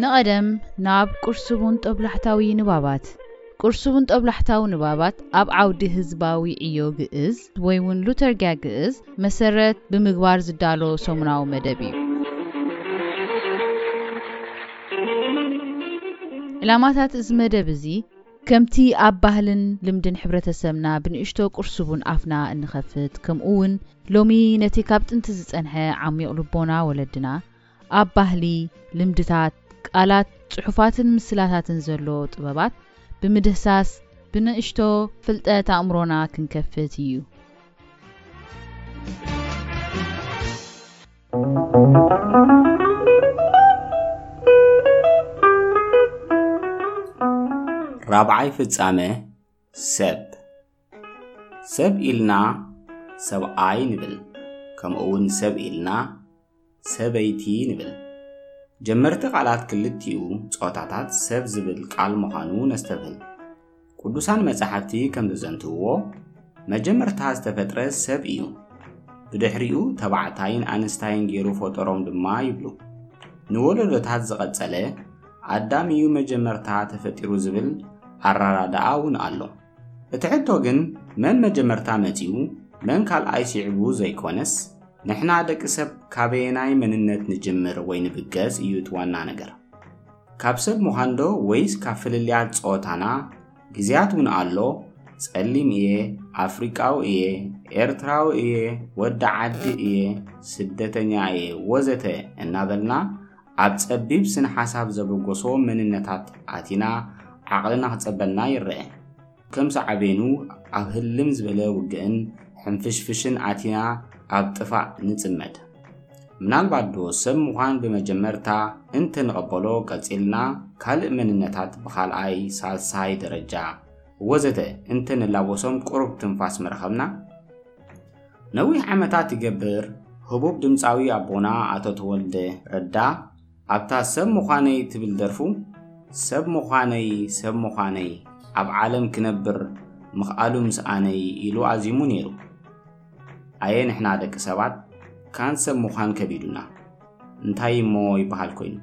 ንቐደም ናብ ቁርሱቡን ጦብላሕታዊ ንባባት። ቁርሱቡን ጦብላሕታዊ ንባባት ኣብ ዓውዲ ህዝባዊ ዕዮ ግእዝ ወይ እውን ሉተርጊያ ግእዝ መሰረት ብምግባር ዝዳሎ ሰሙናዊ መደብ እዩ። ዕላማታት እዚ መደብ እዚ ከምቲ ኣብ ባህልን ልምድን ሕብረተሰብና ብንእሽቶ ቁርሱቡን ኣፍና እንኸፍት፣ ከምኡ እውን ሎሚ ነቲ ካብ ጥንቲ ዝጸንሐ ዓሚቕ ልቦና ወለድና ኣብ ባህሊ፣ ልምድታት፣ ቃላት፣ ጽሑፋትን ምስላታትን ዘሎ ጥበባት ብምድህሳስ ብንእሽቶ ፍልጠት ኣእምሮና ክንከፍት እዩ። ራብዓይ ፍጻመ ሰብ። ሰብ ኢልና ሰብኣይ ንብል፣ ከምኡ እውን ሰብ ኢልና ሰበይቲ ንብል። ጀመርቲ ቃላት ክልቲኡ ጾታታት ሰብ ዝብል ቃል ምዃኑ ነስተብህል። ቅዱሳን መጻሕፍቲ ከም ዘዘንትውዎ መጀመርታ ዝተፈጥረ ሰብ እዩ። ብድሕሪኡ ተባዕታይን ኣንስታይን ገይሩ ፈጠሮም ድማ ይብሉ። ንወለዶታት ዝቐጸለ ኣዳም እዩ መጀመርታ ተፈጢሩ ዝብል ኣራዳድኣ እውን ኣሎ። እቲ ሕቶ ግን መን መጀመርታ መጺኡ መን ካልኣይ ሲዕቡ ዘይኮነስ ንሕና ደቂ ሰብ ካበየናይ መንነት ንጅምር ወይ ንብገስ እዩ እቲ ዋና ነገር። ካብ ሰብ ምዃንዶ ወይስ ካብ ፍልልያት ጾታና? ግዜያት እውን ኣሎ፣ ጸሊም እየ፣ ኣፍሪቃዊ እየ፣ ኤርትራዊ እየ፣ ወዲ ዓዲ እየ፣ ስደተኛ እየ ወዘተ እናበልና ኣብ ጸቢብ ስነ ሓሳብ ዘበገሶ መንነታት ኣቲና ዓቕልና ክጸበና ይረአ። ከም ሳዕቤኑ ኣብ ህልም ዝበለ ውግእን ሕንፍሽፍሽን ኣቲና ኣብ ጥፋእ ንጽመድ። ምናልባት ዶ ሰብ ምዃን ብመጀመርታ እንተንቐበሎ ቀጺልና ካልእ መንነታት ብኻልኣይ፣ ሳልሳይ ደረጃ ወዘተ እንተንላበሶም ቁሩብ ትንፋስ ምረኸብና? ነዊሕ ዓመታት ይገብር ህቡብ ድምጻዊ ኣቦና ኣቶ ተወልደ ረዳ ኣብታ ሰብ ምዃነይ ትብል ደርፉ፣ ሰብ ምዃነይ ሰብ ምዃነይ ኣብ ዓለም ክነብር ምኽኣሉ ምስኣነይ ኢሉ ኣዚሙ ነይሩ። ኣየ ንሕና ደቂ ሰባት ካን ሰብ ምዃን ከቢዱና። እንታይ እሞ ይበሃል ኮይኑ?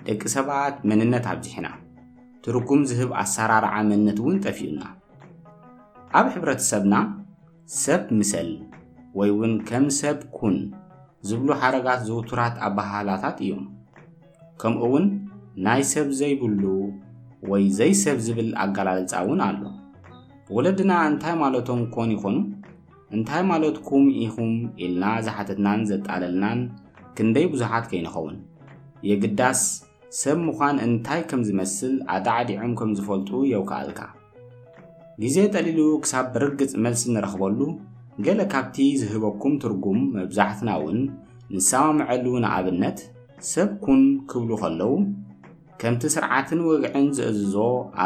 ደቂ ሰባት መንነት ኣብዚሕና። ትርጉም ዝህብ ኣሰራርዓ መንነት እውን ጠፊኡና። ኣብ ሕብረተሰብና ሰብ ምሰል ወይ እውን ከም ሰብ ኩን ዝብሉ ሓረጋት ዝውቱራት ኣበሃህላታት እዮም። ከምኡ እውን ናይ ሰብ ዘይብሉ ወይ ዘይሰብ ዝብል ኣገላልጻ እውን ኣሎ። ወለድና እንታይ ማለቶም ኮን ይኾኑ? እንታይ ማለትኩም ኢኹም ኢልና ዝሓተትናን ዘጣለልናን ክንደይ ብዙሓት ከይንኸውን። የግዳስ ሰብ ምዃን እንታይ ከም ዝመስል ኣዳዕዲዖም ከም ዝፈልጡ የውክኣልካ። ግዜ ጠሊሉ ክሳብ ብርግጽ መልሲ ንረኽበሉ፣ ገለ ካብቲ ዝህበኩም ትርጉም መብዛሕትና እውን ንሰማምዐሉ። ንኣብነት፣ ሰብ ኩን ክብሉ ከለዉ፣ ከምቲ ስርዓትን ወግዕን ዝእዝዞ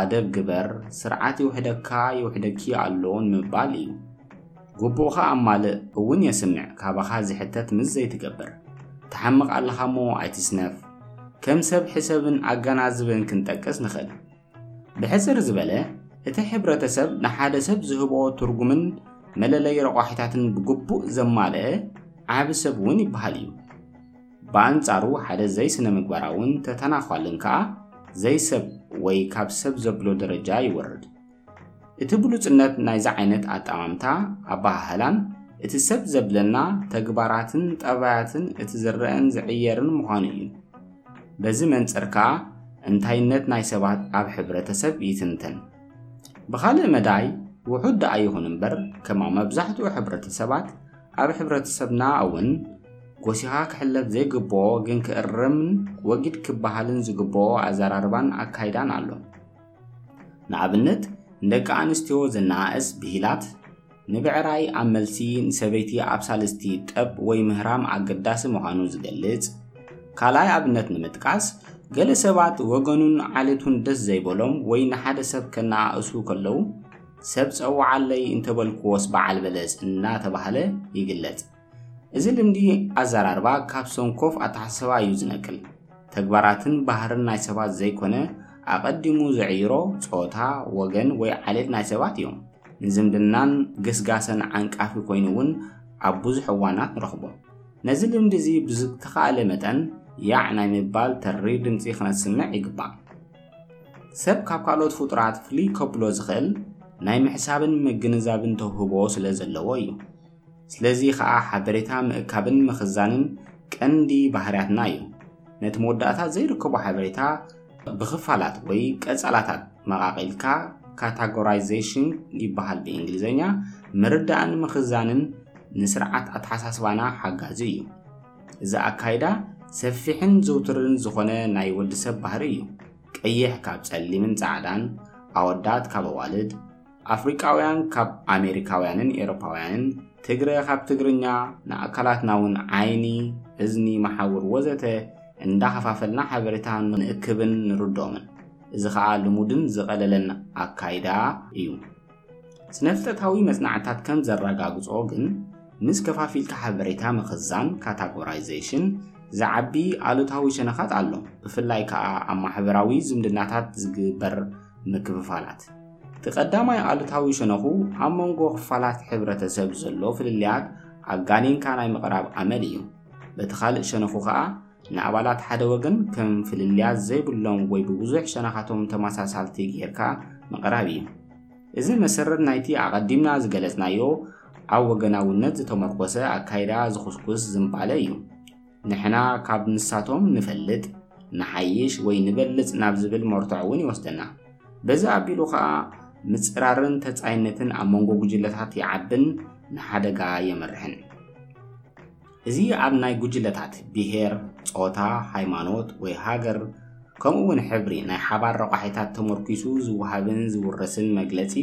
ኣደብ ግበር፣ ስርዓት ይውሕደካ ይውሕደኪ ኣሎ ንምባል እዩ። ግቡእኻ ኣማልእ እውን የስምዕ፣ ካባኻ ዝሕተት ምስ ዘይትገብር። ትሓምቕ ኣለኻ እሞ ኣይትስነፍ። ከም ሰብ ሕሰብን ኣገናዝብን ክንጠቅስ ንኽእል። ብሕጽር ዝበለ፣ እቲ ሕብረተሰብ ንሓደ ሰብ ዝህቦ ትርጉምን መለለይ ረቋሒታትን ብግቡእ ዘማልአ ዓቢ ሰብ እውን ይበሃል እዩ። ብኣንጻሩ ሓደ ዘይስነ ምግባራውን ተተናዃልን ከኣ ዘይሰብ ወይ ካብ ሰብ ዘብሎ ደረጃ ይወርድ። እቲ ብሉጽነት ናይዚ ዓይነት ኣጠማምታ ኣበሃህላን እቲ ሰብ ዘብለና ተግባራትን ጠባያትን እቲ ዝረኣን ዝዕየርን ምዃኑ እዩ። በዚ መንጽር ከኣ እንታይነት ናይ ሰባት ኣብ ሕብረተሰብ ይትንተን። ብኻልእ መዳይ ውሑድ ደኣ ይኹን እምበር ከማ መብዛሕትኡ ሕብረተሰባት ኣብ ሕብረተሰብና እውን ጎሲኻ ክሕለፍ ዘይግብኦ ግን ክእረምን ወጊድ ክበሃልን ዝግብኦ ኣዘራርባን ኣካይዳን ኣሎ። ንኣብነት ንደቂ ኣንስትዮ ዘነኣእስ ብሂላት ንብዕራይ ኣብ መልሲ ንሰበይቲ ኣብ ሳልስቲ ጠብ ወይ ምህራም ኣገዳሲ ምዃኑ ዝገልጽ። ካልኣይ ኣብነት ንምጥቃስ ገለ ሰባት ወገኑን ዓሌቱን ደስ ዘይበሎም ወይ ንሓደ ሰብ ከነኣእሱ ከለዉ ሰብ ጸውዓለይ እንተበልክዎስ በዓል በለስ እናተባህለ ይግለጽ። እዚ ልምዲ ኣዘራርባ ካብ ሰንኮፍ ኣተሓሳስባ እዩ ዝነቅል። ተግባራትን ባህርን ናይ ሰባት ዘይኮነ ኣቐዲሙ ዝዕይሮ ጾታ፣ ወገን ወይ ዓሌት ናይ ሰባት እዮም። ንዝምድናን ግስጋሰን ዓንቃፊ ኮይኑ እውን ኣብ ብዙሕ እዋናት ንረኽቦ። ነዚ ልምዲ እዚ ብዝተኻእለ መጠን ያዕ ናይ ምባል ተሪር ድምጺ ክነስምዕ ይግባእ። ሰብ ካብ ካልኦት ፍጡራት ፍልይ ከብሎ ዝኽእል ናይ ምሕሳብን ምግንዛብን ተውህቦ ስለ ዘለዎ እዩ። ስለዚ ኸኣ ሓበሬታ ምእካብን ምኽዛንን ቀንዲ ባህርያትና እዩ። ነቲ መወዳእታ ዘይርከቦ ሓበሬታ ብኽፋላት ወይ ቀጸላታት መቓቒልካ፣ ካታጎራይዜሽን ይበሃል ብእንግሊዝኛ፣ ምርዳእን ምኽዛንን ንስርዓት ኣተሓሳስባና ሓጋዚ እዩ። እዚ ኣካይዳ ሰፊሕን ዝውቱርን ዝኾነ ናይ ወዲ ሰብ ባህሪ እዩ። ቀይሕ ካብ ጸሊምን ጻዕዳን፣ ኣወዳት ካብ ኣዋልድ፣ ኣፍሪቃውያን ካብ ኣሜሪካውያንን ኤሮፓውያንን፣ ትግረ ካብ ትግርኛ፣ ንኣካላትና እውን ዓይኒ፣ እዝኒ፣ መሓውር ወዘተ እንዳኸፋፈልና ሓበሬታ ንእክብን ንርድኦምን። እዚ ኸኣ ልሙድን ዝቐለለን ኣካይዳ እዩ። ስነፍልጠታዊ መጽናዕትታት ከም ዘረጋግጾ ግን፣ ምስ ከፋፊልካ ሓበሬታ ምኽዛን፣ ካታጎራይዜሽን፣ ዝዓቢ ኣሉታዊ ሸነኻት ኣሎ፣ ብፍላይ ከኣ ኣብ ማሕበራዊ ዝምድናታት ዝግበር ምክፍፋላት። እቲ ቀዳማይ ኣሉታዊ ሸነኹ፣ ኣብ መንጎ ክፋላት ሕብረተሰብ ዘሎ ፍልልያት ኣጋኒንካ ናይ ምቕራብ ኣመል እዩ። በቲ ካልእ ሸነኹ ከኣ፣ ንኣባላት ሓደ ወገን ከም ፍልልያት ዘይብሎም ወይ ብብዙሕ ሸነኻቶም ተመሳሳልቲ ጌርካ ምቕራብ እዩ። እዚ መሰረት ናይቲ ኣቐዲምና ዝገለጽናዮ ኣብ ወገናውነት ዝተመርኮሰ ኣካይዳ ዝኹስኩስ ዝንባለ እዩ። ንሕና ካብ ንሳቶም ንፈልጥ፣ ንሓይሽ ወይ ንበልጽ ናብ ዝብል መርትዖ እውን ይወስደና። በዚ ኣቢሉ ኸኣ ምጽራርን ተጻይነትን ኣብ መንጎ ጉጅለታት ይዓብን ንሓደጋ የመርሕን። እዚ ኣብ ናይ ጉጅለታት ብሄር፣ ጾታ፣ ሃይማኖት ወይ ሃገር፣ ከምኡ እውን ሕብሪ ናይ ሓባር ረቋሒታት ተመርኪሱ ዝወሃብን ዝውረስን መግለጺ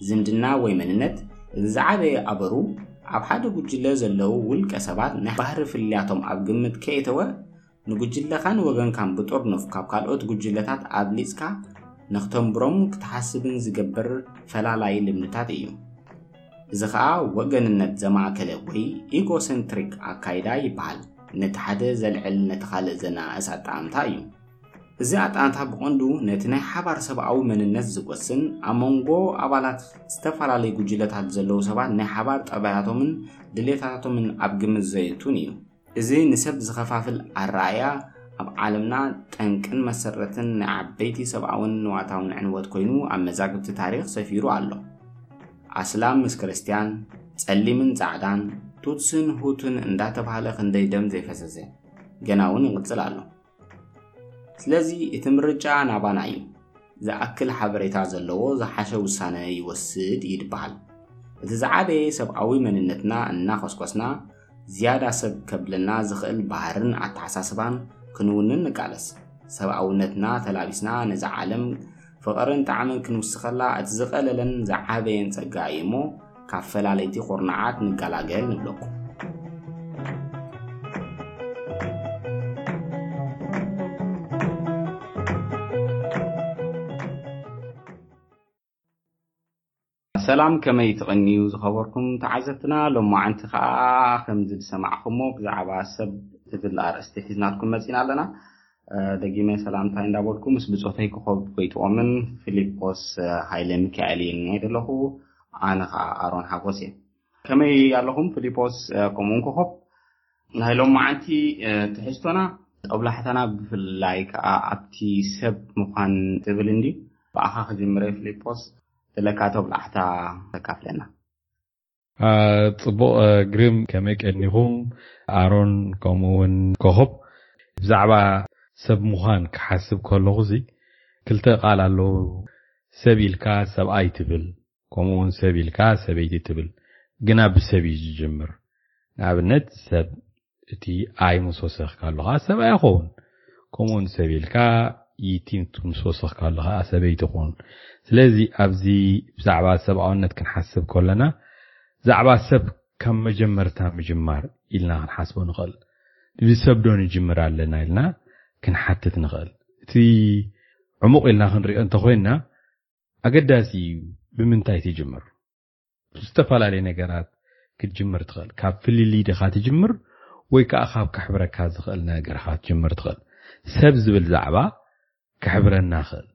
ዝምድና ወይ መንነት፣ እቲ ዝዓበየ ኣበሩ ኣብ ሓደ ጉጅለ ዘለዉ ውልቀ ሰባት ናይ ባህሪ ፍልልያቶም ኣብ ግምት ከየተወ፣ ንጉጅለኻን ወገንካን ብጥርኑፍ ካብ ካልኦት ጉጅለታት ኣብሊጽካ ንክተንብሮም ክትሓስብን ዝገብር ፈላላይ ልምድታት እዩ። እዚ ኸኣ ወገንነት ዘማእከለ ወይ ኢጎሰንትሪክ ኣካይዳ ይበሃል። ነቲ ሓደ ዘልዕል ነቲ ካልእ ዘነኣእስ ኣጠማምታ እዩ። እዚ ኣጠማምታ ብቐንዱ ነቲ ናይ ሓባር ሰብኣዊ መንነት ዝጎስን ኣብ መንጎ ኣባላት ዝተፈላለዩ ጉጅለታት ዘለዉ ሰባት ናይ ሓባር ጠባያቶምን ድሌታቶምን ኣብ ግምት ዘእቱን እዩ። እዚ ንሰብ ዝኸፋፍል ኣረኣእያ ኣብ ዓለምና ጠንቅን መሰረትን ናይ ዓበይቲ ሰብኣውን ንዋታውን ዕንወት ኮይኑ ኣብ መዛግብቲ ታሪኽ ሰፊሩ ኣሎ። ኣስላም ምስ ክርስትያን፣ ጸሊምን ጻዕዳን፣ ቱትስን ሁቱን እንዳተባህለ ክንደይ ደም ዘይፈሰሰ፣ ገና እውን ይቕጽል ኣሎ። ስለዚ እቲ ምርጫ ናባና እዩ። ዝኣክል ሓበሬታ ዘለዎ ዝሓሸ ውሳነ ይወስድ ይድበሃል። እቲ ዝዓበየ ሰብኣዊ መንነትና እናኾስኮስና፣ ዝያዳ ሰብ ከብለና ዝኽእል ባህርን ኣተሓሳስባን ክንውንን ንቃለስ። ሰብኣውነትና ተላቢስና ነዛ ዓለም ፍቕርን ጣዕምን ክንውስኸላ እቲ ዝቐለለን ዝዓበየን ጸጋ እዩ እሞ፣ ካብ ፈላለይቲ ኹርናዓት ንገላገል ንብለኩም። ሰላም፣ ከመይ ትቐንዩ ዝኸበርኩም ተዓዘብትና? ሎማዓንቲ ከኣ ከምዚ ዝሰማዕኹሞ ብዛዕባ ሰብ ትብል ኣርእስቲ ሒዝናልኩም መጺና ኣለና። እ፣ ደጊመ ሰላምታይ እንዳበልኩ ምስ ብጾተይ ኮኾብ ጎይትኦምን ፊሊጶስ፣ እ፣ ሃይለ ሚካኤልን እየ ዘለኹ። ኣነ ከኣ ኣሮን ሓጎስ እየ። ከመይ ኣለኹም ፊሊጶስ፣ እ፣ ከምኡውን ኮኾብ? ናይ ሎማዓንቲ፣ እ፣ ትሕዝቶና ጦብላሕታና ብፍላይ ከኣ ኣብቲ ሰብ ምዃን ትብል እንድዩ። ብኣኻ ክጅምረ ፊሊጶስ፣ ዘለካ ጦብላሕታ ተካፍለና። አ፣ ጽቡቕ፣ አ፣ ግርም፣ ከመይ ቀኒኹም? ኣሮን፣ ከምኡ እውን ኮኾብ። ብዛዕባ ሰብ ምዃን ክሓስብ ከለኹ፣ እዚ ክልተ ቃል ኣለዉ። ሰብ ኢልካ ሰብኣይ ትብል፣ ከምኡ እውን ሰብ ኢልካ ሰበይቲ ትብል። ግና ብሰብ እዩ ዝጅምር። ንኣብነት፣ ሰብ እቲ ኣይ ምስ ወሰኽካ ኣሎ ኸዓ ሰብኣይ ይኸውን። ከምኡውን ሰብ ኢልካ ይቲ ምስ ወሰኽካ ኣሎ ኸዓ ሰበይቲ ይኸውን። ስለዚ ኣብዚ ብዛዕባ ሰብኣውነት ክንሓስብ ከለና ብዛዕባ ሰብ ካብ መጀመርታ ምጅማር ኢልና ክንሓስቦ ንኽእል። ብሰብ ዶ ንጅምር ኣለና ኢልና ክንሓትት ንኽእል። እቲ ዕሙቕ ኢልና ክንሪኦ እንተኾይንና ኣገዳሲ እዩ ብምንታይ ትጅምር። ብዝተፈላለየ ነገራት ክትጅምር ትኽእል። ካብ ፍልልይ ዲኻ ትጅምር ወይ ከኣ ካብ ከሕብረካ ዝኽእል ነገር ኢኻ ክትጅምር ትኽእል። ሰብ ዝብል ዛዕባ ከሕብረና ይኽእል።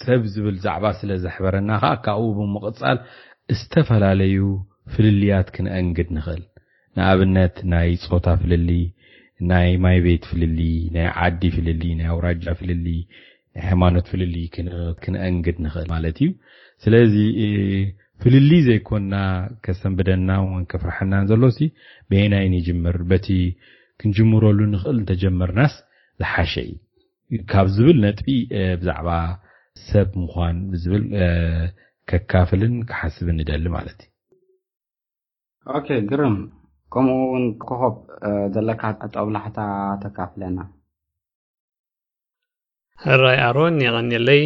ሰብ ዝብል ዛዕባ ስለ ዘሕበረና ከኣ ካብኡ ብምቕጻል ዝተፈላለዩ ፍልልያት ክነእንግድ ንኽእል። ንኣብነት ናይ ጾታ ፍልልይ፣ ናይ ማይ ቤት ፍልልይ፣ ናይ ዓዲ ፍልልይ፣ ናይ ኣውራጃ ፍልልይ፣ ናይ ሃይማኖት ፍልልይ ክን- ክንአንግድ ንኽእል ማለት እዩ። ስለዚ እ፣ ፍልልይ ዘይኮና ከሰንብደና እውን ከፍርሐናን ዘሎ ሲ በየናይ ንጅምር፣ በቲ ክንጅምረሉ ንኽእል እንተጀመርናስ ዝሓሸ እዩ ካብ ዝብል ነጥቢ እ፣ ብዛዕባ ሰብ ምዃን ብዝብል እ፣ ከካፍልን ክሓስብን ንደሊ ማለት እዩ። ኦኬ፣ ግርም። ከምኡ እውን ኮኾብ እ፣ ዘለካ ጦብላሕታ ተካፍለና። ሕራይ ኣሮን፣ የቐንየለይ።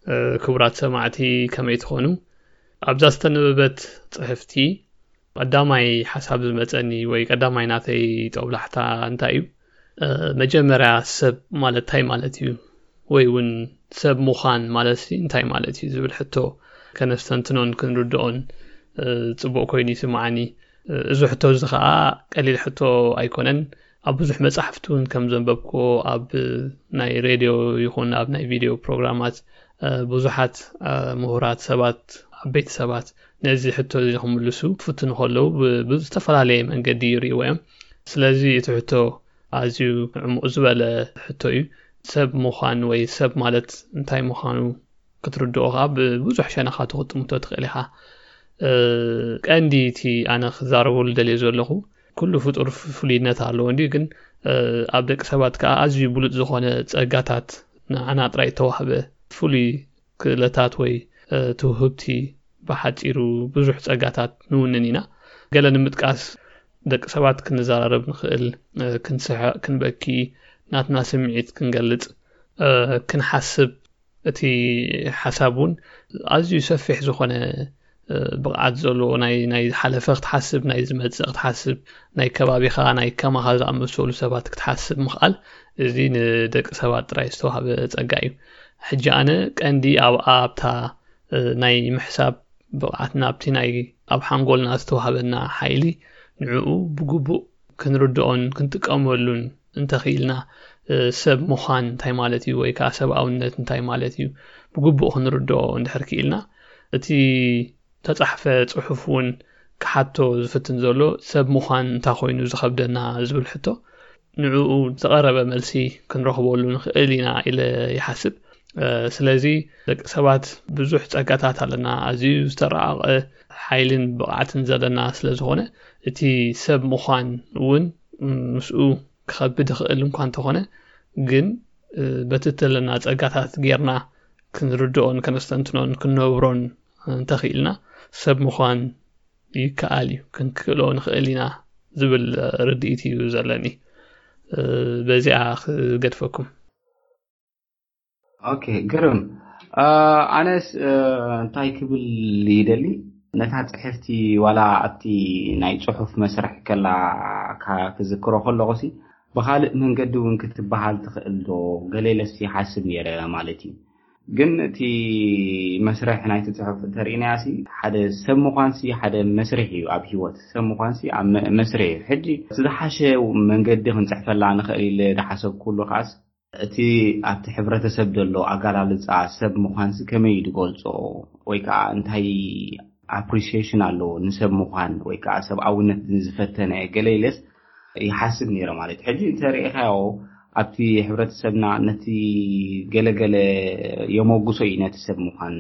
እ፣ ክቡራት ሰማዕቲ ከመይ ትኾኑ? ኣብዛ ዝተነበበት ጽሕፍቲ ቀዳማይ ሓሳብ ዝመጸኒ ወይ ቀዳማይ ናተይ ጦብላሕታ እንታይ እዩ? እ፣ መጀመርያ ሰብ ማለት እንታይ ማለት እዩ? ወይ እውን ሰብ ምዃን ማለት ሲ እንታይ ማለት እዩ ዝብል ሕቶ ከነስተንትኖን ክንርድኦን እ፣ ጽቡቕ ኮይኑ ይስምዓኒ። እ፣ እዚ ሕቶ እዚ ኸኣ ቀሊል ሕቶ ኣይኮነን። ኣብ ብዙሕ መጻሕፍቲ እውን ከም ዘንበብክዎ ኣብ ናይ ሬድዮ ይኹን ኣብ ናይ ቪድዮ ፕሮግራማት እ፣ ብዙሓት እ፣ ምሁራት ሰባት ዓበይቲ ሰባት ነዚ ሕቶ እዚ ክምልሱ ክፍትኑ ከለዉ ብ- ብዝተፈላለየ መንገዲ ይርእይዎ እዮም። ስለዚ እቲ ሕቶ ኣዝዩ ዕሙቕ ዝበለ ሕቶ እዩ። ሰብ ምዃን ወይ ሰብ ማለት እንታይ ምዃኑ ክትርድኦ ከዓ ብብዙሕ ሸነኻቱ ክትጥምቶ ትኽእል ኢኻ። እ፣ ቀንዲ እቲ ኣነ ክዛረበሉ ደልየ ዘለኹ ኩሉ ፍጡር ፍ- ፍሉይነት ኣለዎ እንዲዩ፣ ግን እ፣ ኣብ ደቂ ሰባት ከዓ ኣዝዩ ብሉፅ ዝኾነ ፀጋታት ንዓና ጥራይ እተዋህበ ፍሉይ ክእለታት ወይ እ፣ ትውህብቲ ብሓፂሩ ብዙሕ ፀጋታት ንውንን ኢና። ገለ ንምጥቃስ ደቂ ሰባት ክንዘራረብ ንኽእል፣ እ፣ ክንስሕቕ፣ ክንበኪ፣ ናትና ስምዒት ክንገልፅ፣ እ፣ ክንሓስብ እቲ ሓሳብ እውን ኣዝዩ ሰፊሕ ዝኾነ እ፣ ብቕዓት ዘለዎ ናይ ናይ ዝሓለፈ ክትሓስብ ናይ ዝመጽእ ክትሓስብ ናይ ከባቢኻ ናይ ከማኻ ዝኣመሰሉ ሰባት ክትሓስብ ምኽኣል እዚ ንደቂ ሰባት ጥራይ ዝተዋህበ ጸጋ እዩ። ሕጂ ኣነ ቀንዲ ኣብ ኣብታ እ፣ ናይ ምሕሳብ ብቕዓትና ኣብቲ ናይ ኣብ ሓንጎልና ዝተዋህበና ሓይሊ ንዕኡ ብግቡእ ክንርድኦን ክንጥቀመሉን እንተኽኢልና እ፣ ሰብ ምዃን እንታይ ማለት እዩ ወይ ከዓ ሰብኣውነት እንታይ ማለት እዩ ብግቡእ ክንርድኦ እንድሕር ክኢልና እቲ ተጻሕፈ ጽሑፍ እውን ክሓቶ ዝፍትን ዘሎ ሰብ ምዃን እንታይ ኮይኑ ዝኸብደና ዝብል ሕቶ ንዕኡ ዝቐረበ መልሲ ክንረኽበሉ ንኽእል ኢና ኢለ ይሓስብ። እ፣ ስለዚ ደቂ ሰባት ብዙሕ ጸጋታት ኣለና፣ ኣዝዩ ዝተረቐቐ ሓይልን ብቕዓትን ዘለና ስለ ዝኾነ እቲ ሰብ ምዃን እውን ምስኡ ክኸብድ ይኽእል እንኳ እንተኾነ ግን እ፣ በቲ እተለና ጸጋታት ጌርና ክንርድኦን ከነስተንትኖን ክንነብሮን እንተኽኢልና ሰብ ምዃን ይከኣል እዩ፣ ክንክእሎ ንኽእል ኢና ዝብል ርድኢት እዩ ዘለኒ። እ፣ በዚኣ ክገድፈኩም። ኦኬ፣ ግርም። እ፣ ኣነስ እ፣ እንታይ ክብል ይደሊ፣ ነታ ጽሕፍቲ ዋላ ኣብቲ ናይ ጽሑፍ መስርሕ ከላ ካ- ክዝክሮ ከለኹሲ ብኻልእ መንገዲ እውን ክትበሃል ትኽእል ዶ ገሌለስ ይሓስብ ነይረ ማለት እዩ። ግን እቲ መስርሕ ናይቲ ጽሑፍ እንተርኢናያሲ ሓደ ሰብ ምዃንሲ ሓደ መስርሕ እዩ ኣብ ህይወት ሰብ ምዃንሲ ኣብ መ- መስርሕ እዩ። ሕጂ እቲ ዝሓሸ መንገዲ ክንጽሕፈላ ንኽእል ኢለ ዝሓሰብኩሉ ከዓስ እቲ ኣብቲ ሕብረተሰብ ዘሎ ኣገላልጻ ሰብ ምዃንሲ ከመይ እዩ ዝገልጾ ወይ ከዓ እንታይ ኣፕሪሲሽን ኣለዎ ንሰብ ምዃን ወይ ከዓ ሰብኣውነት ዝፈተነ ገለ ኢለስ ይሓስብ ነይረ ማለት እዩ። ሕጂ እንተሪኢኻዮ ኣብቲ ሕብረተሰብና ነቲ ገለገለ የመጉሶ እዩ ነቲ ሰብ ምዃን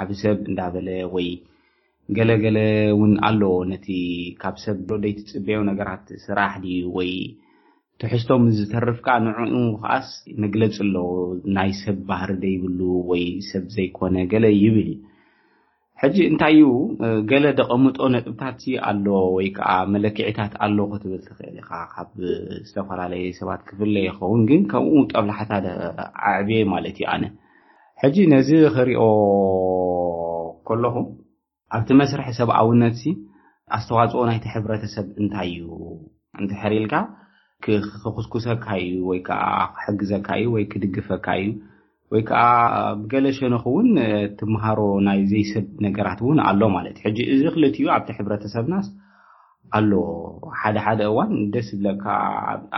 ዓቢ ሰብ እንዳበለ ወይ ገለገለ እውን ኣለዎ ነቲ ካብ ሰብ ደይትፅበዮ ነገራት ስራሕ ድዩ ወይ ትሕዝቶ ምስ ዝተርፍ ከዓ ንዕኡ ከዓስ መግለፂ ኣለዎ ናይ ሰብ ባህሪ ደይብሉ ወይ ሰብ ዘይኮነ ገለ ይብል እዩ። ሕጂ እንታይ እዩ ገለ ደቐምጦ ነጥብታት ኣሎ ወይ ከዓ መለክዒታት ኣሎ ክትብል ትኽእል ኢኻ። ካብ ዝተፈላለየ ሰባት ክፍለ ይኸውን ግን ከምኡ ጠብላሕታ ኣዕብየ ማለት እዩ ኣነ። ሕጂ ነዚ ክሪኦ ከለኹ ኣብቲ መስርሕ ሰብኣውነት ሲ ኣስተዋፅኦ ናይቲ ሕብረተሰብ እንታይ እዩ እንድሕር ኢልካ ክኹስኩሰካ እዩ ወይ ከዓ ክሕግዘካ እዩ ወይ ክድግፈካ እዩ ወይ ከዓ ብገለ ሸነኽ እውን ትምሃሮ ናይ ዘይሰብ ነገራት እውን ኣሎ ማለት እዩ። ሕጂ እዚ ክልቲኡ ኣብቲ ሕብረተሰብናስ ኣሎ። ሓደ ሓደ እዋን ደስ ይብለካ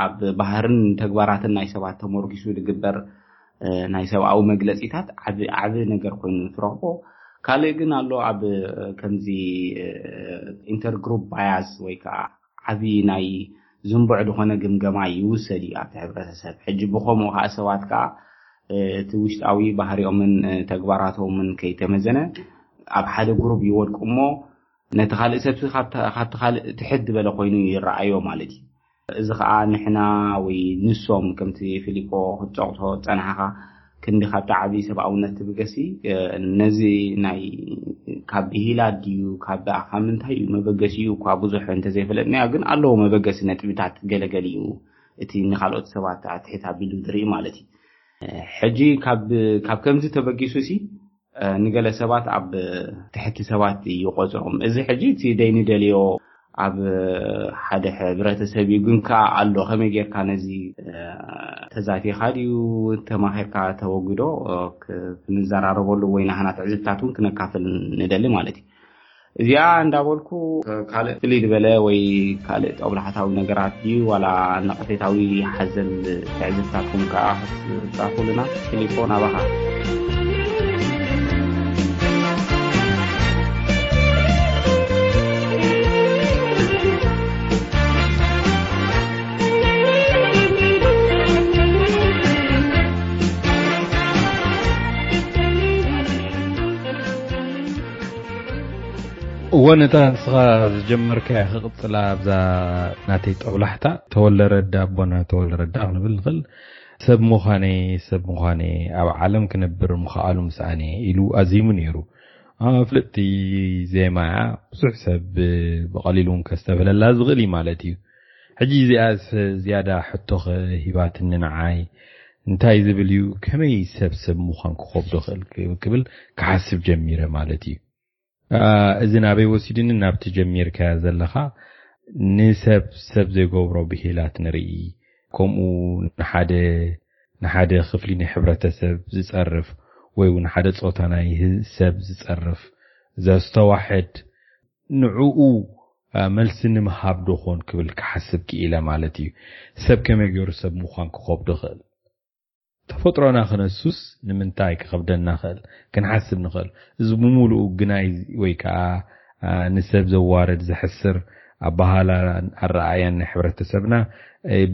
ኣብ ባህርን ተግባራትን ናይ ሰባት ተመርኪሱ ዝግበር ናይ ሰብኣዊ መግለፂታት ዓቢ ነገር ኮይኑ ትረኽቦ። ካልእ ግን ኣሎ ኣብ ከምዚ ኢንተርግሩፕ ባያስ ወይ ከዓ ዓቢ ናይ ዝንቡዕ ዝኾነ ግምገማ ይውሰድ እዩ ኣብቲ ሕብረተሰብ። ሕጂ ብኸምኡ ከዓ ሰባት ከዓ እቲ ውሽጣዊ ባህሪኦምን ተግባራቶምን ከይተመዘነ ኣብ ሓደ ግሩብ ይወድቁ እሞ ነቲ ካልእ ሰብ ካብቲ ካልእ ትሕት ዝበለ ኮይኑ ይረኣዮ ማለት እዩ። እዚ ከዓ ንሕና ወይ ንሶም ከምቲ ፊሊፖ ክትፀቕሶ ፀናሕኻ ክንዲ ካብቲ ዓብዪ ሰብኣውነት ትብገሲ ነዚ ናይ ካብ ብሂላ ድዩ ካብ ብኣኻ ምንታይ እዩ መበገሲኡ እኳ ብዙሕ እንተዘይፈለጥናዮ ግን ኣለዎ መበገሲ ነጥብታት ገለገሊኡ እቲ ንካልኦት ሰባት ኣትሕት ኣቢሉ ዝርኢ ማለት እዩ። ሕጂ ካብ ከምዚ ተበጊሱ ሲ ንገለ ሰባት ኣብ ትሕቲ ሰባት ይቆፅሮም። እዚ ሕጂ እቲ ደይንደልዮ ኣብ ሓደ ሕብረተሰብ እዩ። ግን ከዓ ኣሎ ከመይ ጌርካ ነዚ ተዛቲኻ ድዩ ተማኺርካ ተወግዶ ክንዘራረበሉ ወይ ናህና ትዕዝብታት እውን ክነካፍል ንደሊ ማለት እዩ። እዚኣ እንዳበልኩ ካልእ ፍልይ ዝበለ ወይ ካልእ ጠብላሕታዊ ነገራት ድዩ ዋላ ነቐፌታዊ ሓዘል ትዕዝብታትኩም ከዓ ክትፃፉልና ፊሊፖ ናባኻ። እወ ነታ ንስኻ ዝጀመርካያ ክቕጽላ ኣብዛ ናተይ ጠብላሕታ ተወልደ ረዳ ኣቦና ተወልደ ረዳ ክንብል ንኽእል። ሰብ ምዃነይ ሰብ ምዃነይ ኣብ ዓለም ክነብር ምኽኣሉ ምስኣነ ኢሉ ኣዚሙ ነይሩ። ፍልጥቲ ዜማ እያ። ብዙሕ ሰብ ብቐሊሉ እውን ከስተብህለላ ዝኽእል እዩ ማለት እዩ። ሕጂ እዚኣ ዝያዳ ሕቶ ሂባትኒ ንዓይ እንታይ ዝብል እዩ ከመይ ሰብ ሰብ ምዃን ክኸብዶ ክእል ክብል ክሓስብ ጀሚረ ማለት እዩ። እዚ ናበይ ወሲድኒ ናብቲ ጀሚርካያ ዘለኻ ንሰብ ሰብ ዘይገብሮ ብሂላት ንርኢ። ከምኡ ንሓደ ንሓደ ክፍሊ ናይ ሕብረተሰብ ዝጸርፍ ወይ እውን ሓደ ጾታ ናይ ሰብ ዝጸርፍ ዘስተዋሕድ ንዕኡ መልሲ ንምሃብ ዶ ኾን ክብል ክሓስብ ክኢለ ማለት እዩ። ሰብ ከመይ ገይሩ ሰብ ምዃን ክኸብዶ ክእል? ተፈጥሮና ክነሱስ ንምንታይ ክኸብደና ክእል? ክንሓስብ ንኽእል። እዚ ብምሉኡ ግናይ ወይ ከዓ ንሰብ ዘዋርድ ዘሕስር ኣባሃላን ኣረኣያን ናይ ሕብረተሰብና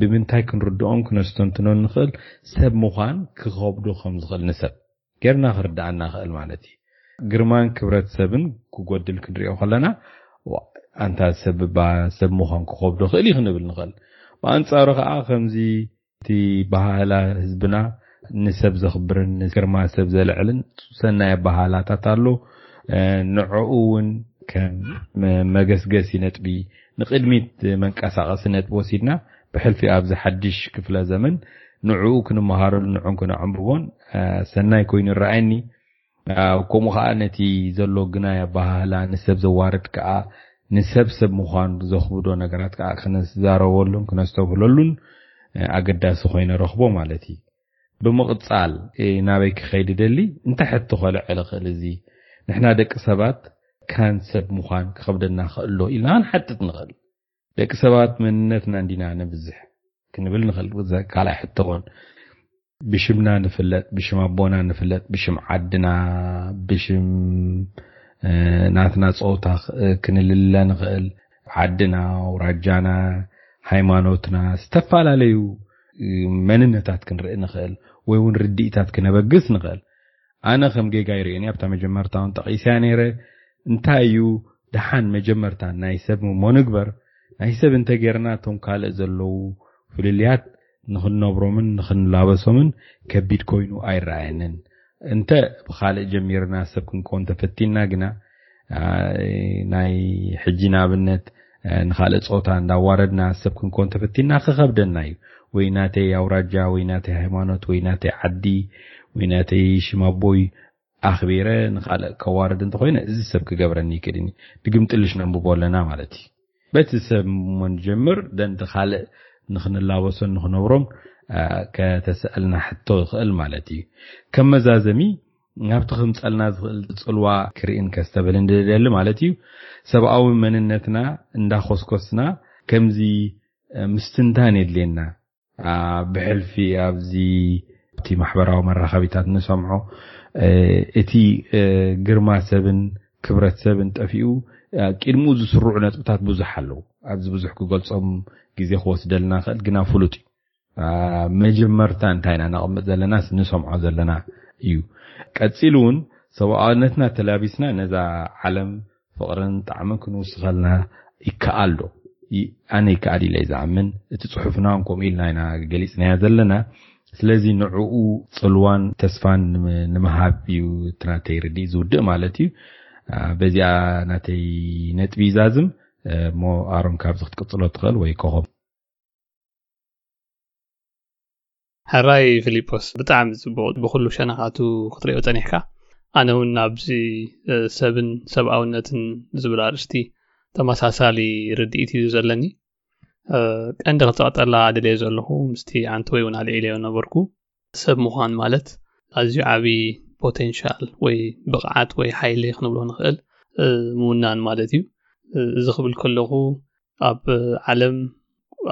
ብምንታይ ክንርድኦን ክነስተንትኖን ንኽእል? ሰብ ምዃን ክኸብዶ ከም ዝኽእል ንሰብ ጌርና ክርድኣና ክእል ማለት እዩ። ግርማን ክብረት ሰብን ክጎድል ክንሪኦ ከለና ኣንታ ሰብ እባ ሰብ ምዃን ክኸብዶ ክእል እዩ ክንብል ንኽእል። ብኣንጻሩ ከዓ ከምዚ እቲ ባህላ ህዝብና ንሰብ ዘኽብርን ንግርማ ሰብ ዘልዕልን ሰናይ ኣባሃላታት ኣሎ። ንዕኡ እውን ከም መገስገሲ ነጥቢ ንቅድሚት መንቀሳቐሲ ነጥቢ ወሲድና ብሕልፊ ኣብዚ ሓድሽ ክፍለ ዘመን ንዕኡ ክንመሃረሉ ንዕን ክነዕንብቦን ሰናይ ኮይኑ ይረኣየኒ። ከምኡ ከዓ ነቲ ዘሎ ግናይ ኣባህላ ንሰብ ዘዋርድ ከዓ ንሰብ ሰብ ምዃን ዘኽብዶ ነገራት ከዓ ክንዛረበሉን ክነስተብህለሉን ኣገዳሲ ኮይነ ረኽቦ ማለት እዩ። ብምቕጻል ናበይ ክኸይድ ደሊ እንተ ሕቶ ከልዕል እኽእል እዚ ንሕና ደቂ ሰባት ካን ሰብ ምዃን ክኸብደና ክእሎ ኢልና ክንሓጥጥ ንኽእል። ደቂ ሰባት መንነትና እንዲና ንብዝሕ ክንብል ንኽእል። ካልኣይ ሕቶ ኾን ብሽምና ንፍለጥ፣ ብሽም ኣቦና ንፍለጥ፣ ብሽም ዓድና፣ ብሽም ናትና ፆታ ክንልለ ንኽእል። ዓድና፣ ኣውራጃና፣ ሃይማኖትና፣ ዝተፈላለዩ መንነታት ክንርኢ ንኽእል ወይ እውን ርድኢታት ክነበግስ ንኽእል። ኣነ ከም ጌጋ ይርእኒ ኣብታ መጀመርታ እውን ጠቒስያ ነይረ። እንታይ እዩ ደሓን መጀመርታ ናይ ሰብ እሞ ንግበር። ናይ ሰብ እንተጌርና እቶም ካልእ ዘለዉ ፍልልያት ንኽንነብሮምን ንኽንላበሶምን ከቢድ ኮይኑ ኣይረኣየንን። እንተ ብኻልእ ጀሚርና ሰብ ክንከውን ተፈቲንና ግና ናይ ሕጂ ንኣብነት ንኻልእ ፆታ እንዳዋረድና ሰብ ክንከውን ተፈቲንና ክኸብደና እዩ። ወይ ናተይ ኣውራጃ ወይ ናተይ ሃይማኖት ወይ ናተይ ዓዲ ወይ ናተይ ሽም ኣቦይ ኣኽቢረ ንኻልእ ከዋርድ እንተኾይነ እዚ ሰብ ክገብረኒ ይክእልኒ። ድግምጥልሽ ነንብቦ ኣለና ማለት እዩ። በቲ ሰብ እሞ ንጀምር ደንቲ ካልእ ንኽንላበሶን ንኽነብሮን ከተስኣልና ሕቶ ይኽእል ማለት እዩ። ከም መዛዘሚ ናብቲ ክምፀልና ዝኽእል ፅልዋ ክርኢን ከስተብህልን ድደሊ ማለት እዩ። ሰብኣዊ መንነትና እንዳኾስኮስና ከምዚ ምስትንታን የድልየና። ብሕልፊ ኣብዚ እቲ ማሕበራዊ መራኸቢታት ንሰምዖ እቲ ግርማ ሰብን ክብረት ሰብን ጠፊኡ ቅድሚኡ ዝስርዑ ነጥብታት ብዙሕ ኣለዉ። ኣብዚ ብዙሕ ክገልጾም ግዜ ክወስደልና ይኽእል፣ ግና ፍሉጥ እዩ። መጀመርታ እንታይ ኢና ነቐምጥ ዘለናስ ንሰምዖ ዘለና እዩ። ቀፂሉ እውን ሰብኣውነትና ተላቢስና ነዛ ዓለም ፍቕርን ጣዕምን ክንውስኸልና ይከኣል ዶ? ኣነ ይከኣል ኢለ ዝኣምን። እቲ ፅሑፍና እውን ከምኡ ኢልና ኢና ገሊፅናያ ዘለና። ስለዚ ንዕኡ ፅልዋን ተስፋን ንምሃብ እዩ እቲ ናተይ ርድኢት ዝውድእ ማለት እዩ። በዚኣ ናተይ ነጥቢ ይዛዝም። እሞ ኣሮን ካብዚ ክትቅፅሎ ትኽእል ወይ ኮኾብ? ሕራይ ፊሊጶስ፣ ብጣዕሚ ጽቡቕ። ብኹሉ ሸነኻቱ ክትሪኦ ጸኒሕካ። ኣነ እውን ኣብዚ ሰብን ሰብኣውነትን ዝብል ኣርእስቲ ተመሳሳሊ ርድኢት እዩ ዘለኒ። ቀንዲ ክጸቕጠላ ደልየ ዘለኹ ምስቲ ኣንተ ወይ እውን ኣልዒለዮ ነበርኩ። ሰብ ምዃን ማለት ኣዝዩ ዓቢ ፖቴንሻል ወይ ብቕዓት ወይ ሓይሊ ክንብሎ ንኽእል ምውናን ማለት እዩ። እዚ ክብል ከለኹ ኣብ ዓለም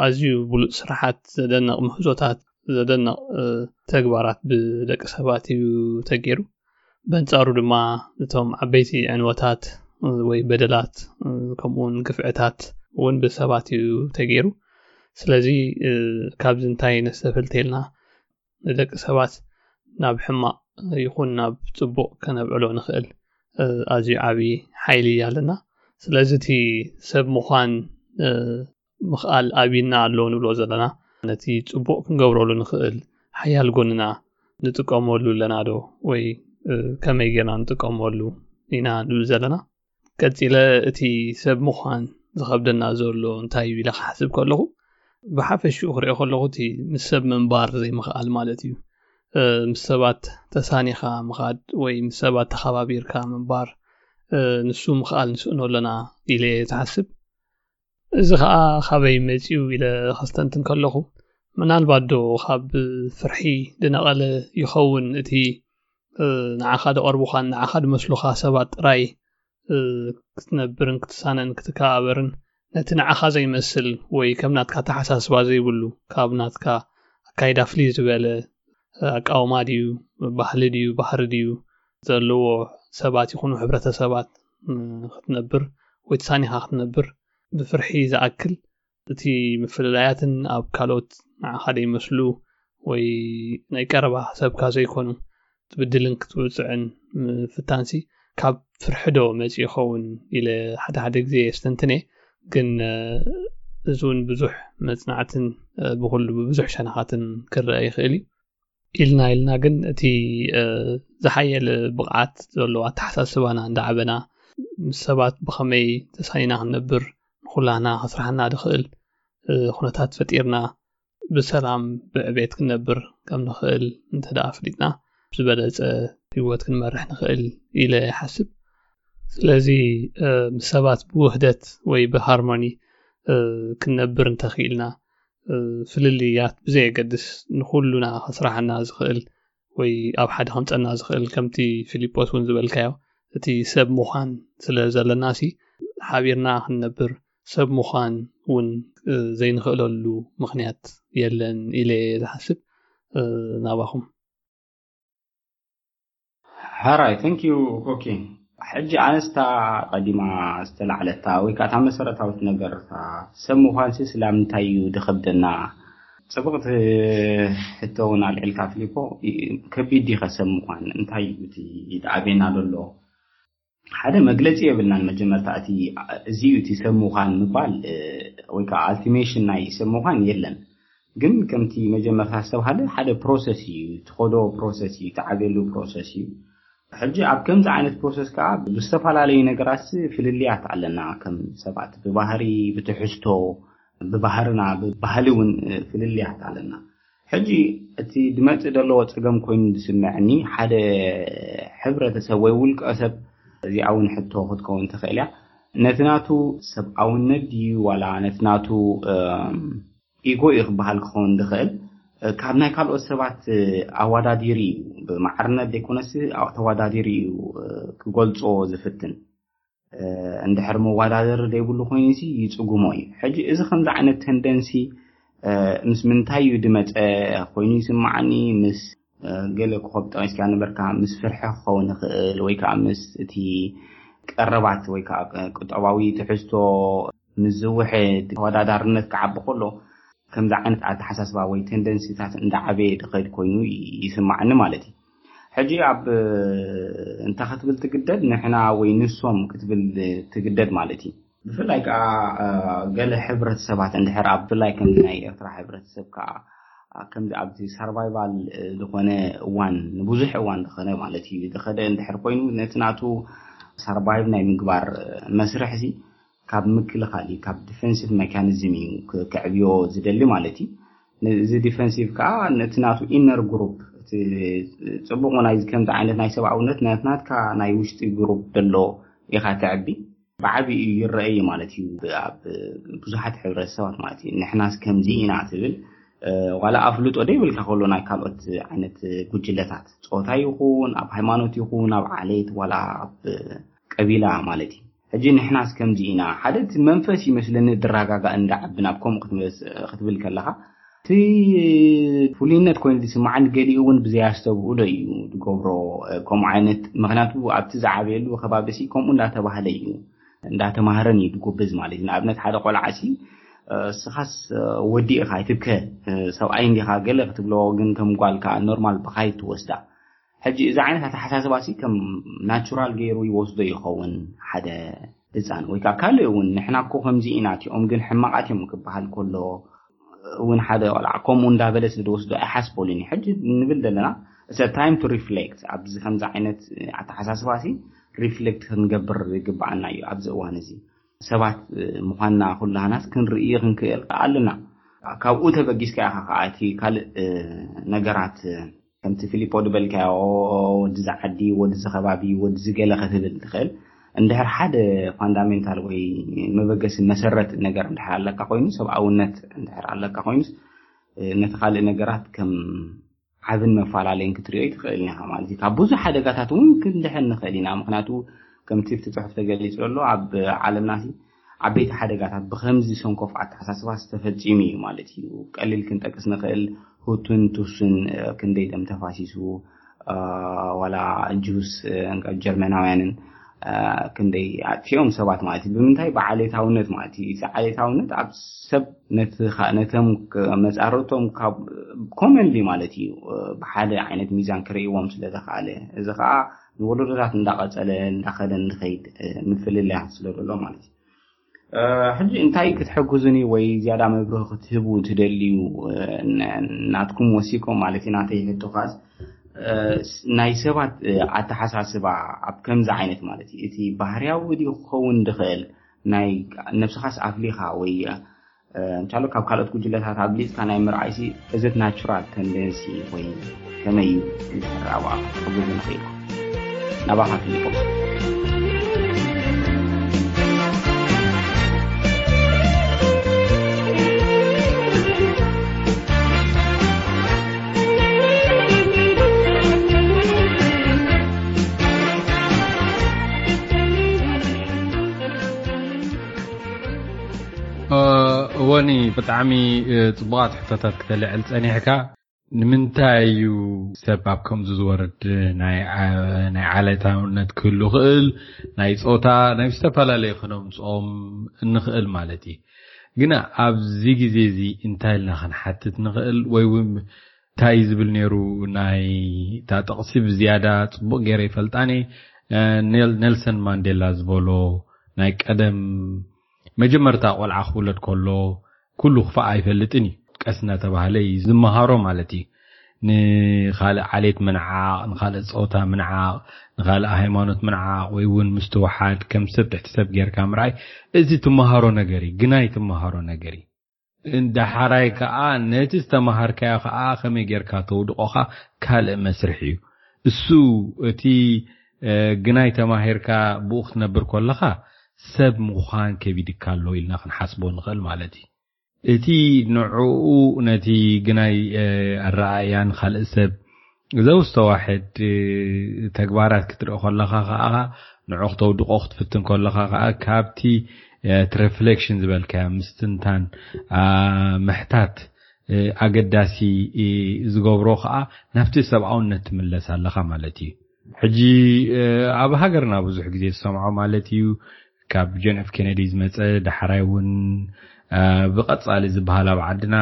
ኣዝዩ ብሉጽ ስራሓት፣ ዘደንቕ ምህዞታት፣ ዘደንቕ ተግባራት ብደቂ ሰባት እዩ ተገይሩ። በንጻሩ ድማ እቶም ዓበይቲ ዕንወታት ወይ በደላት ከምኡውን ግፍዕታት እውን ብሰባት እዩ ተገይሩ። ስለዚ ካብዚ እንታይ ነስተፍልት ኢልና ንደቂ ሰባት ናብ ሕማቕ ይኹን ናብ ጽቡቕ ከነብዕሎ ንኽእል ኣዝዩ ዓቢ ሓይሊ ኣለና። ስለዚ እቲ ሰብ ምዃን ምኽኣል ኣብይና ኣሎ ንብሎ ዘለና፣ ነቲ ጽቡቕ ክንገብረሉ ንኽእል ሓያል ጎንና ንጥቀመሉ ኣለና ዶ ወይ ከመይ ጌርና ንጥቀመሉ ኢና ንብል ዘለና። ቀጺለ እቲ ሰብ ምዃን ዝኸብደና ዘሎ እንታይ እዩ ኢለ ክሓስብ ከለኹ፣ ብሓፈሽኡ ክሪኦ ከለኹ እቲ ምስ ሰብ ምንባር ዘይምኽኣል ማለት እዩ። ምስ ሰባት ተሳኒኻ ምኻድ ወይ ምስ ሰባት ተኸባቢርካ ምንባር፣ ንሱ ምኽኣል ንስእኖ ኣለና ኢለ እየ ዝሓስብ። እዚ ኸኣ ካበይ መጺኡ ኢለ ከስተንትን ከለኹ፣ ምናልባት ዶ ካብ ፍርሒ ዝነቐለ ይኸውን፣ እቲ ንዓኻ ዝቐርቡኻን ንዓኻ ዝመስሉኻ ሰባት ጥራይ ክትነብርን ክትሳነን ክትከባበርን፣ ነቲ ንዓኻ ዘይመስል ወይ ከም ናትካ ኣተሓሳስባ ዘይብሉ፣ ካብ ናትካ ኣካይዳ ፍልይ ዝበለ ኣቃውማ ድዩ፣ ባህሊ ድዩ፣ ባህሪ ድዩ ዘለዎ ሰባት ይኹኑ ሕብረተሰባት ክትነብር ወይ ተሳኒኻ ክትነብር ብፍርሒ ዝኣክል፣ እቲ ምፍልላያትን ኣብ ካልኦት ንዓኻ ዘይመስሉ ወይ ናይ ቀረባ ሰብካ ዘይኮኑ ክትብድልን ክትውፅዕን ምፍታንሲ ካብ ፍርሒ ዶ መፂኡ ይኸውን ኢለ ሓደ ሓደ ግዜ የስተንትን እየ። ግን እዚ እውን ብዙሕ መፅናዕትን ብኩሉ ብብዙሕ ሸነኻትን ክረአ ይኽእል እዩ። ኢልና ኢልና ግን እቲ ዝሓየለ ብቕዓት ዘለዎ ኣተሓሳስባና እንዳዓበና ምስ ሰባት ብኸመይ ተሳኒና ክንነብር ንኹላህና ከስራሕና ዝኽእል ኩነታት ፈጢርና ብሰላም ብዕቤት ክንነብር ከም ንኽእል እንተ ደኣ ኣፍሊጥና ዝበለጸ ህይወት ክንመርሕ ንኽእል ኢለ ይሓስብ። ስለዚ ምስ ሰባት ብውህደት ወይ ብሃርሞኒ ክንነብር እንተኽኢልና ፍልልያት ብዘየገድስ ንኹሉና ከስራሓና ዝኽእል ወይ ኣብ ሓደ ከምፀና ዝኽእል ከምቲ ፊሊጶስ እውን ዝበልካዮ እቲ ሰብ ምዃን ስለ ዘለና ሲ ሓቢርና ክንነብር ሰብ ምዃን እውን ዘይንኽእለሉ ምኽንያት የለን ኢለ ዝሓስብ ናባኹም። ሕራይ thank you ኮኪ። ሕጂ ኣነስታ ቀዲማ ዝተላዕለታ ወይ ከዓ እታ መሰረታዊት ነገር ሰብ ምዃንሲ ስላምንታይ እዩ ድኸብደና? ፅብቕቲ ሕቶ እውን ኣልዒልካ ፊሊፖ። ከቢድ ዲኸ ሰብ ምዃን? እንታይ እዩ እቲ ኣበና ዘሎ? ሓደ መግለፂ የብልናን። መጀመርታ እቲ እዚ እዩ እቲ ሰብ ምዃን ምባል ወይ ከዓ ኣልቲሜሽን ናይ ሰብ ምዃን የለን። ግን ከምቲ መጀመርታ ዝተባሃለ ሓደ ፕሮሰስ እዩ፣ ትኸዶ ፕሮሰስ እዩ፣ ትዓብየሉ ፕሮሰስ እዩ። ሕጂ ኣብ ከምዚ ዓይነት ፕሮሰስ ከዓ ብዝተፈላለዩ ነገራት ፍልልያት ኣለና። ከም ሰባት ብባህሪ፣ ብትሕዝቶ፣ ብባህርና ብባህሊ እውን ፍልልያት ኣለና። ሕጂ እቲ ድመፅእ ዘለዎ ፀገም ኮይኑ ዝስምዐኒ ሓደ ሕብረተሰብ ወይ ውልቀ ሰብ እዚኣ እውን ሕቶ ክትከውን ትኽእል እያ። ነቲ ናቱ ሰብኣውነት ድዩ ዋላ ነቲ ናቱ ኢጎ እዩ ክበሃል ክኸውን ዝኽእል ካብ ናይ ካልኦት ሰባት ኣወዳዲሩ እዩ ብማዕርነት ዘይኮነስ ተወዳዲሩ እዩ ክገልፆ ዝፍትን። እንድሕር መወዳደሪ ዘይብሉ ኮይኑ ሲ ይፅጉሞ እዩ። ሕጂ እዚ ከምዚ ዓይነት ተንደንሲ ምስ ምንታይ እዩ ድመፀ ኮይኑ ይስማዓኒ? ምስ ገለ ኮኸብ ጠቂስካ ነበርካ፣ ምስ ፍርሒ ክኸውን ይኽእል ወይ ከዓ ምስ እቲ ቀረባት ወይ ከዓ ቁጠባዊ ትሕዝቶ ምስ ዝውሕድ፣ ተወዳዳርነት ክዓቢ ከሎ ከምዚ ዓይነት ኣተሓሳስባ ወይ ቴንደንሲታት እንዳዓበየ ድኸድ ኮይኑ ይስማዓኒ ማለት እዩ። ሕጂ ኣብ እንተ ክትብል ትግደድ፣ ንሕና ወይ ንሶም ክትብል ትግደድ ማለት እዩ። ብፍላይ ከዓ ገለ ሕብረተሰባት እንድሕር ኣብ፣ ብፍላይ ከምዚ ናይ ኤርትራ ሕብረተሰብ ከዓ ከምዚ ኣብዚ ሰርቫይቫል ዝኾነ እዋን፣ ንብዙሕ እዋን ዝኾነ ማለት እዩ ዝኸደ እንድሕር ኮይኑ፣ ነቲ ናቱ ሰርቫይቭ ናይ ምግባር መስርሕ እዚ ካብ ምክልኻል እዩ፣ ካብ ዲፌንሲቭ ሜካኒዝም እዩ ክ- ከዕብዮ ዝደሊ ማለት እዩ። እዚ ዲፌንሲቭ ከዓ ነቲ ናቱ ኢነር ግሩፕ፣ እቲ ፅቡቕ ናይ ከምዚ ዓይነት ናይ ሰብኣውነት ናት- ናትካ ናይ ውሽጢ ግሩፕ ዘሎ ኢኻ ተዕቢ። ብዓቢኡ ይረአ እዩ ማለት እዩ። ኣብ ብዙሓት ሕብረተሰባት ማለት እዩ፣ ንሕናስ ከምዚ ኢና ትብል ዋላ ኣፍልጦ ደይብልካ ከሎ ናይ ካልኦት ዓይነት ጉጅለታት፣ ፆታ ይኹን ኣብ ሃይማኖት ይኹን ኣብ ዓሌት ዋላ ኣብ ቀቢላ ማለት እዩ። ሕጂ ንሕናስ ከምዚ ኢና፣ ሓደ እቲ መንፈስ ይመስለኒ ድረጋጋእ እንዳዓቢ ናብ ከምኡ ክትመስ- ክትብል ከለኻ፣ እቲ ፍሉይነት ኮይኑ ዝስማዓኒ፣ ገሊኡ እውን ብዘያስተብህሎ እዩ ዝገብሮ ከምኡ ዓይነት። ምክንያቱ ኣብቲ ዝዓበየሉ ከባቢ ሲ ከምኡ እንዳተባህለ እዩ፣ እንዳተማህረን እዩ ዝጎበዝ ማለት እዩ። ንኣብነት ሓደ ቆልዓ ሲ እስኻስ ወዲ ኢኻ ኣይትብከ፣ ሰብኣይ እንዲኻ ገለ ክትብሎ፣ ግን ከም ጓል ከዓ ኖርማል ብኻይ ትወስዳ። ሕጂ እዚ ዓይነት ኣተሓሳስባ ሲ ከም ናቹራል ገይሩ ይወስዶ ይኸውን ሓደ ህፃን? ወይ ከዓ ካልእ እውን፣ ንሕና እኮ ከምዚ ኢና፣ እቲኦም ግን ሕማቓት እዮም ክበሃል ከሎ እውን ሓደ ቆልዓ ከምኡ እንዳበለ ስለ ዝወስዶ ኣይሓስበሉን እዩ። ሕጂ ንብል ዘለና it's time to reflect። ኣብዚ ከምዚ ዓይነት ኣተሓሳስባ ሲ ሪፍሌክት ክንገብር ይግባኣና እዩ። ኣብዚ እዋን እዚ ሰባት ምዃንና ኩላህናስ ክንርኢ ክንክእል ኣለና። ካብኡ ተበጊስካ ኢኻ ከዓ እቲ ካልእ ነገራት ከምቲ ፊሊፖ ዝበልካዮ፣ ወዲ ዝዓዲ፣ ወዲ ዝኸባቢ፣ ወዲ ዝገለ ክትብል ትኽእል። እንድሕር ሓደ ፋንዳሜንታል ወይ መበገሲ መሰረት ነገር እንድሕር ኣለካ ኮይኑ፣ ሰብኣውነት እንድሕር ኣለካ ኮይኑስ፣ ነቲ ካልእ ነገራት ከም ዓብን መፈላለይን ክትሪኦ ይትኽእል ኢኻ ማለት እዩ። ካብ ብዙሕ ሓደጋታት እውን ክንድሕን ንኽእል ኢና። ምክንያቱ ከምቲ ኣብቲ ጽሑፍ ተገሊጹ ዘሎ፣ ኣብ ዓለምና ሲ ዓበይቲ ሓደጋታት ብኸምዚ ሰንኮፍ ኣተሓሳስባ ዝተፈጺሙ እዩ ማለት እዩ። ቀሊል ክንጠቅስ ንኽእል፣ ሁቱን ቱስን ክንደይ ደም ተፋሲሱ፣ ዋላ ጁስ ጀርመናውያንን ክንደይ ኣጥፊኦም ሰባት ማለት እዩ። ብምንታይ? ብዓሌታውነት ማለት እዩ። እቲ ዓሌታውነት ኣብ ሰብ ነቶም መጻርቶም ካብ ኮመንሊ ማለት እዩ ብሓደ ዓይነት ሚዛን ክርእይዎም ስለ ዘኽኣለ፣ እዚ ከዓ ንወለዶታት እንዳቐጸለ እንዳኸደ እንድኸይድ ምፍልላያት ስለ ዘሎ ማለት እዩ። ሕጂ እንታይ ክትሕግዙኒ ወይ ዝያዳ መብርህ ክትህቡ ትደልዩ? ናትኩም ወሲኮም ማለት እዩ። ናተይ ሕቶ ኻስ ናይ ሰባት ኣተሓሳስባ ኣብ ከምዚ ዓይነት ማለት እዩ፣ እቲ ባህርያዊ ድዩ ክኸውን ድኽእል፣ ናይ ነብስኻስ ኣፍሊኻ ወይ እንቻሎ ካብ ካልኦት ጉጅለታት ኣብሊፅካ ናይ ምርኣይሲ፣ እዚ ናቹራል ተንደንሲ ወይ ከመይ እዩ? እንድሕር ኣብኣ ክትሕግዙ ንኽእል ናባኻ ፊሊፖስ። እወኒ፣ ብጣዕሚ ፅቡቓት ሕቶታት ክተልዕል ፀኒሕካ። ንምንታይ እዩ ሰብ ኣብ ከምዚ ዝወርድ? ናይ ዓሌታውነት ክህሉ ይኽእል፣ ናይ ፆታ፣ ናይ ዝተፈላለዩ ክነምፅኦም እንኽእል ማለት እዩ። ግና ኣብዚ ግዜ እዚ እንታይ ኢልና ክንሓትት ንኽእል? ወይ እውን እንታይ ዝብል ነይሩ? ናይ እታ ጥቕሲ ብዝያዳ ፅቡቕ ገይረ ይፈልጣኒ። ኔልሰን ማንዴላ ዝበሎ ናይ ቀደም መጀመርታ ቆልዓ ክውለድ ከሎ ኩሉ ክፋእ ኣይፈልጥን እዩ፣ ቀስ እናተባህለ እዩ ዝመሃሮ ማለት እዩ። ንኻልእ ዓሌት ምንዓቕ፣ ንኻልእ ፆታ ምንዓቕ፣ ንኻልእ ሃይማኖት ምንዓቕ፣ ወይ እውን ምስትውሓድ፣ ከም ሰብ ትሕቲ ሰብ ጌርካ ምርኣይ፣ እዚ ትመሃሮ ነገር እዩ፣ ግናይ ትመሃሮ ነገር እዩ። እንዳሓራይ ከዓ ነቲ ዝተመሃርካዮ ከዓ ከመይ ጌርካ ተውድቖኻ ካልእ መስርሕ እዩ። እሱ እቲ ግናይ ተማሂርካ ብኡ ክትነብር ከለኻ ሰብ ምዃን ከቢድካ ኣሎ ኢልና ክንሓስቦ ንኽእል ማለት እዩ። እቲ ንዕኡ ነቲ ግናይ ኣረኣእያን ካልእ ሰብ ዘውስተዋሕድ ተግባራት ክትርኢ ከለኻ ከዓ ንዑ ክተውድቆ ክትፍትን ከለኻ ከዓ ካብቲ እቲ ሪፍሌክሽን ዝበልካዮ ምስትንታን ምሕታት ኣገዳሲ ዝገብሮ ከዓ ናብቲ ሰብኣውነት ትምለስ ኣለኻ ማለት እዩ። ሕጂ ኣብ ሃገርና ብዙሕ ግዜ ዝሰምዖ ማለት እዩ ካብ ጆን ኤፍ ኬነዲ ዝመጸ፣ ዳሕራይ እውን ብቐጻሊ ዝበሃል ኣብ ዓድና፣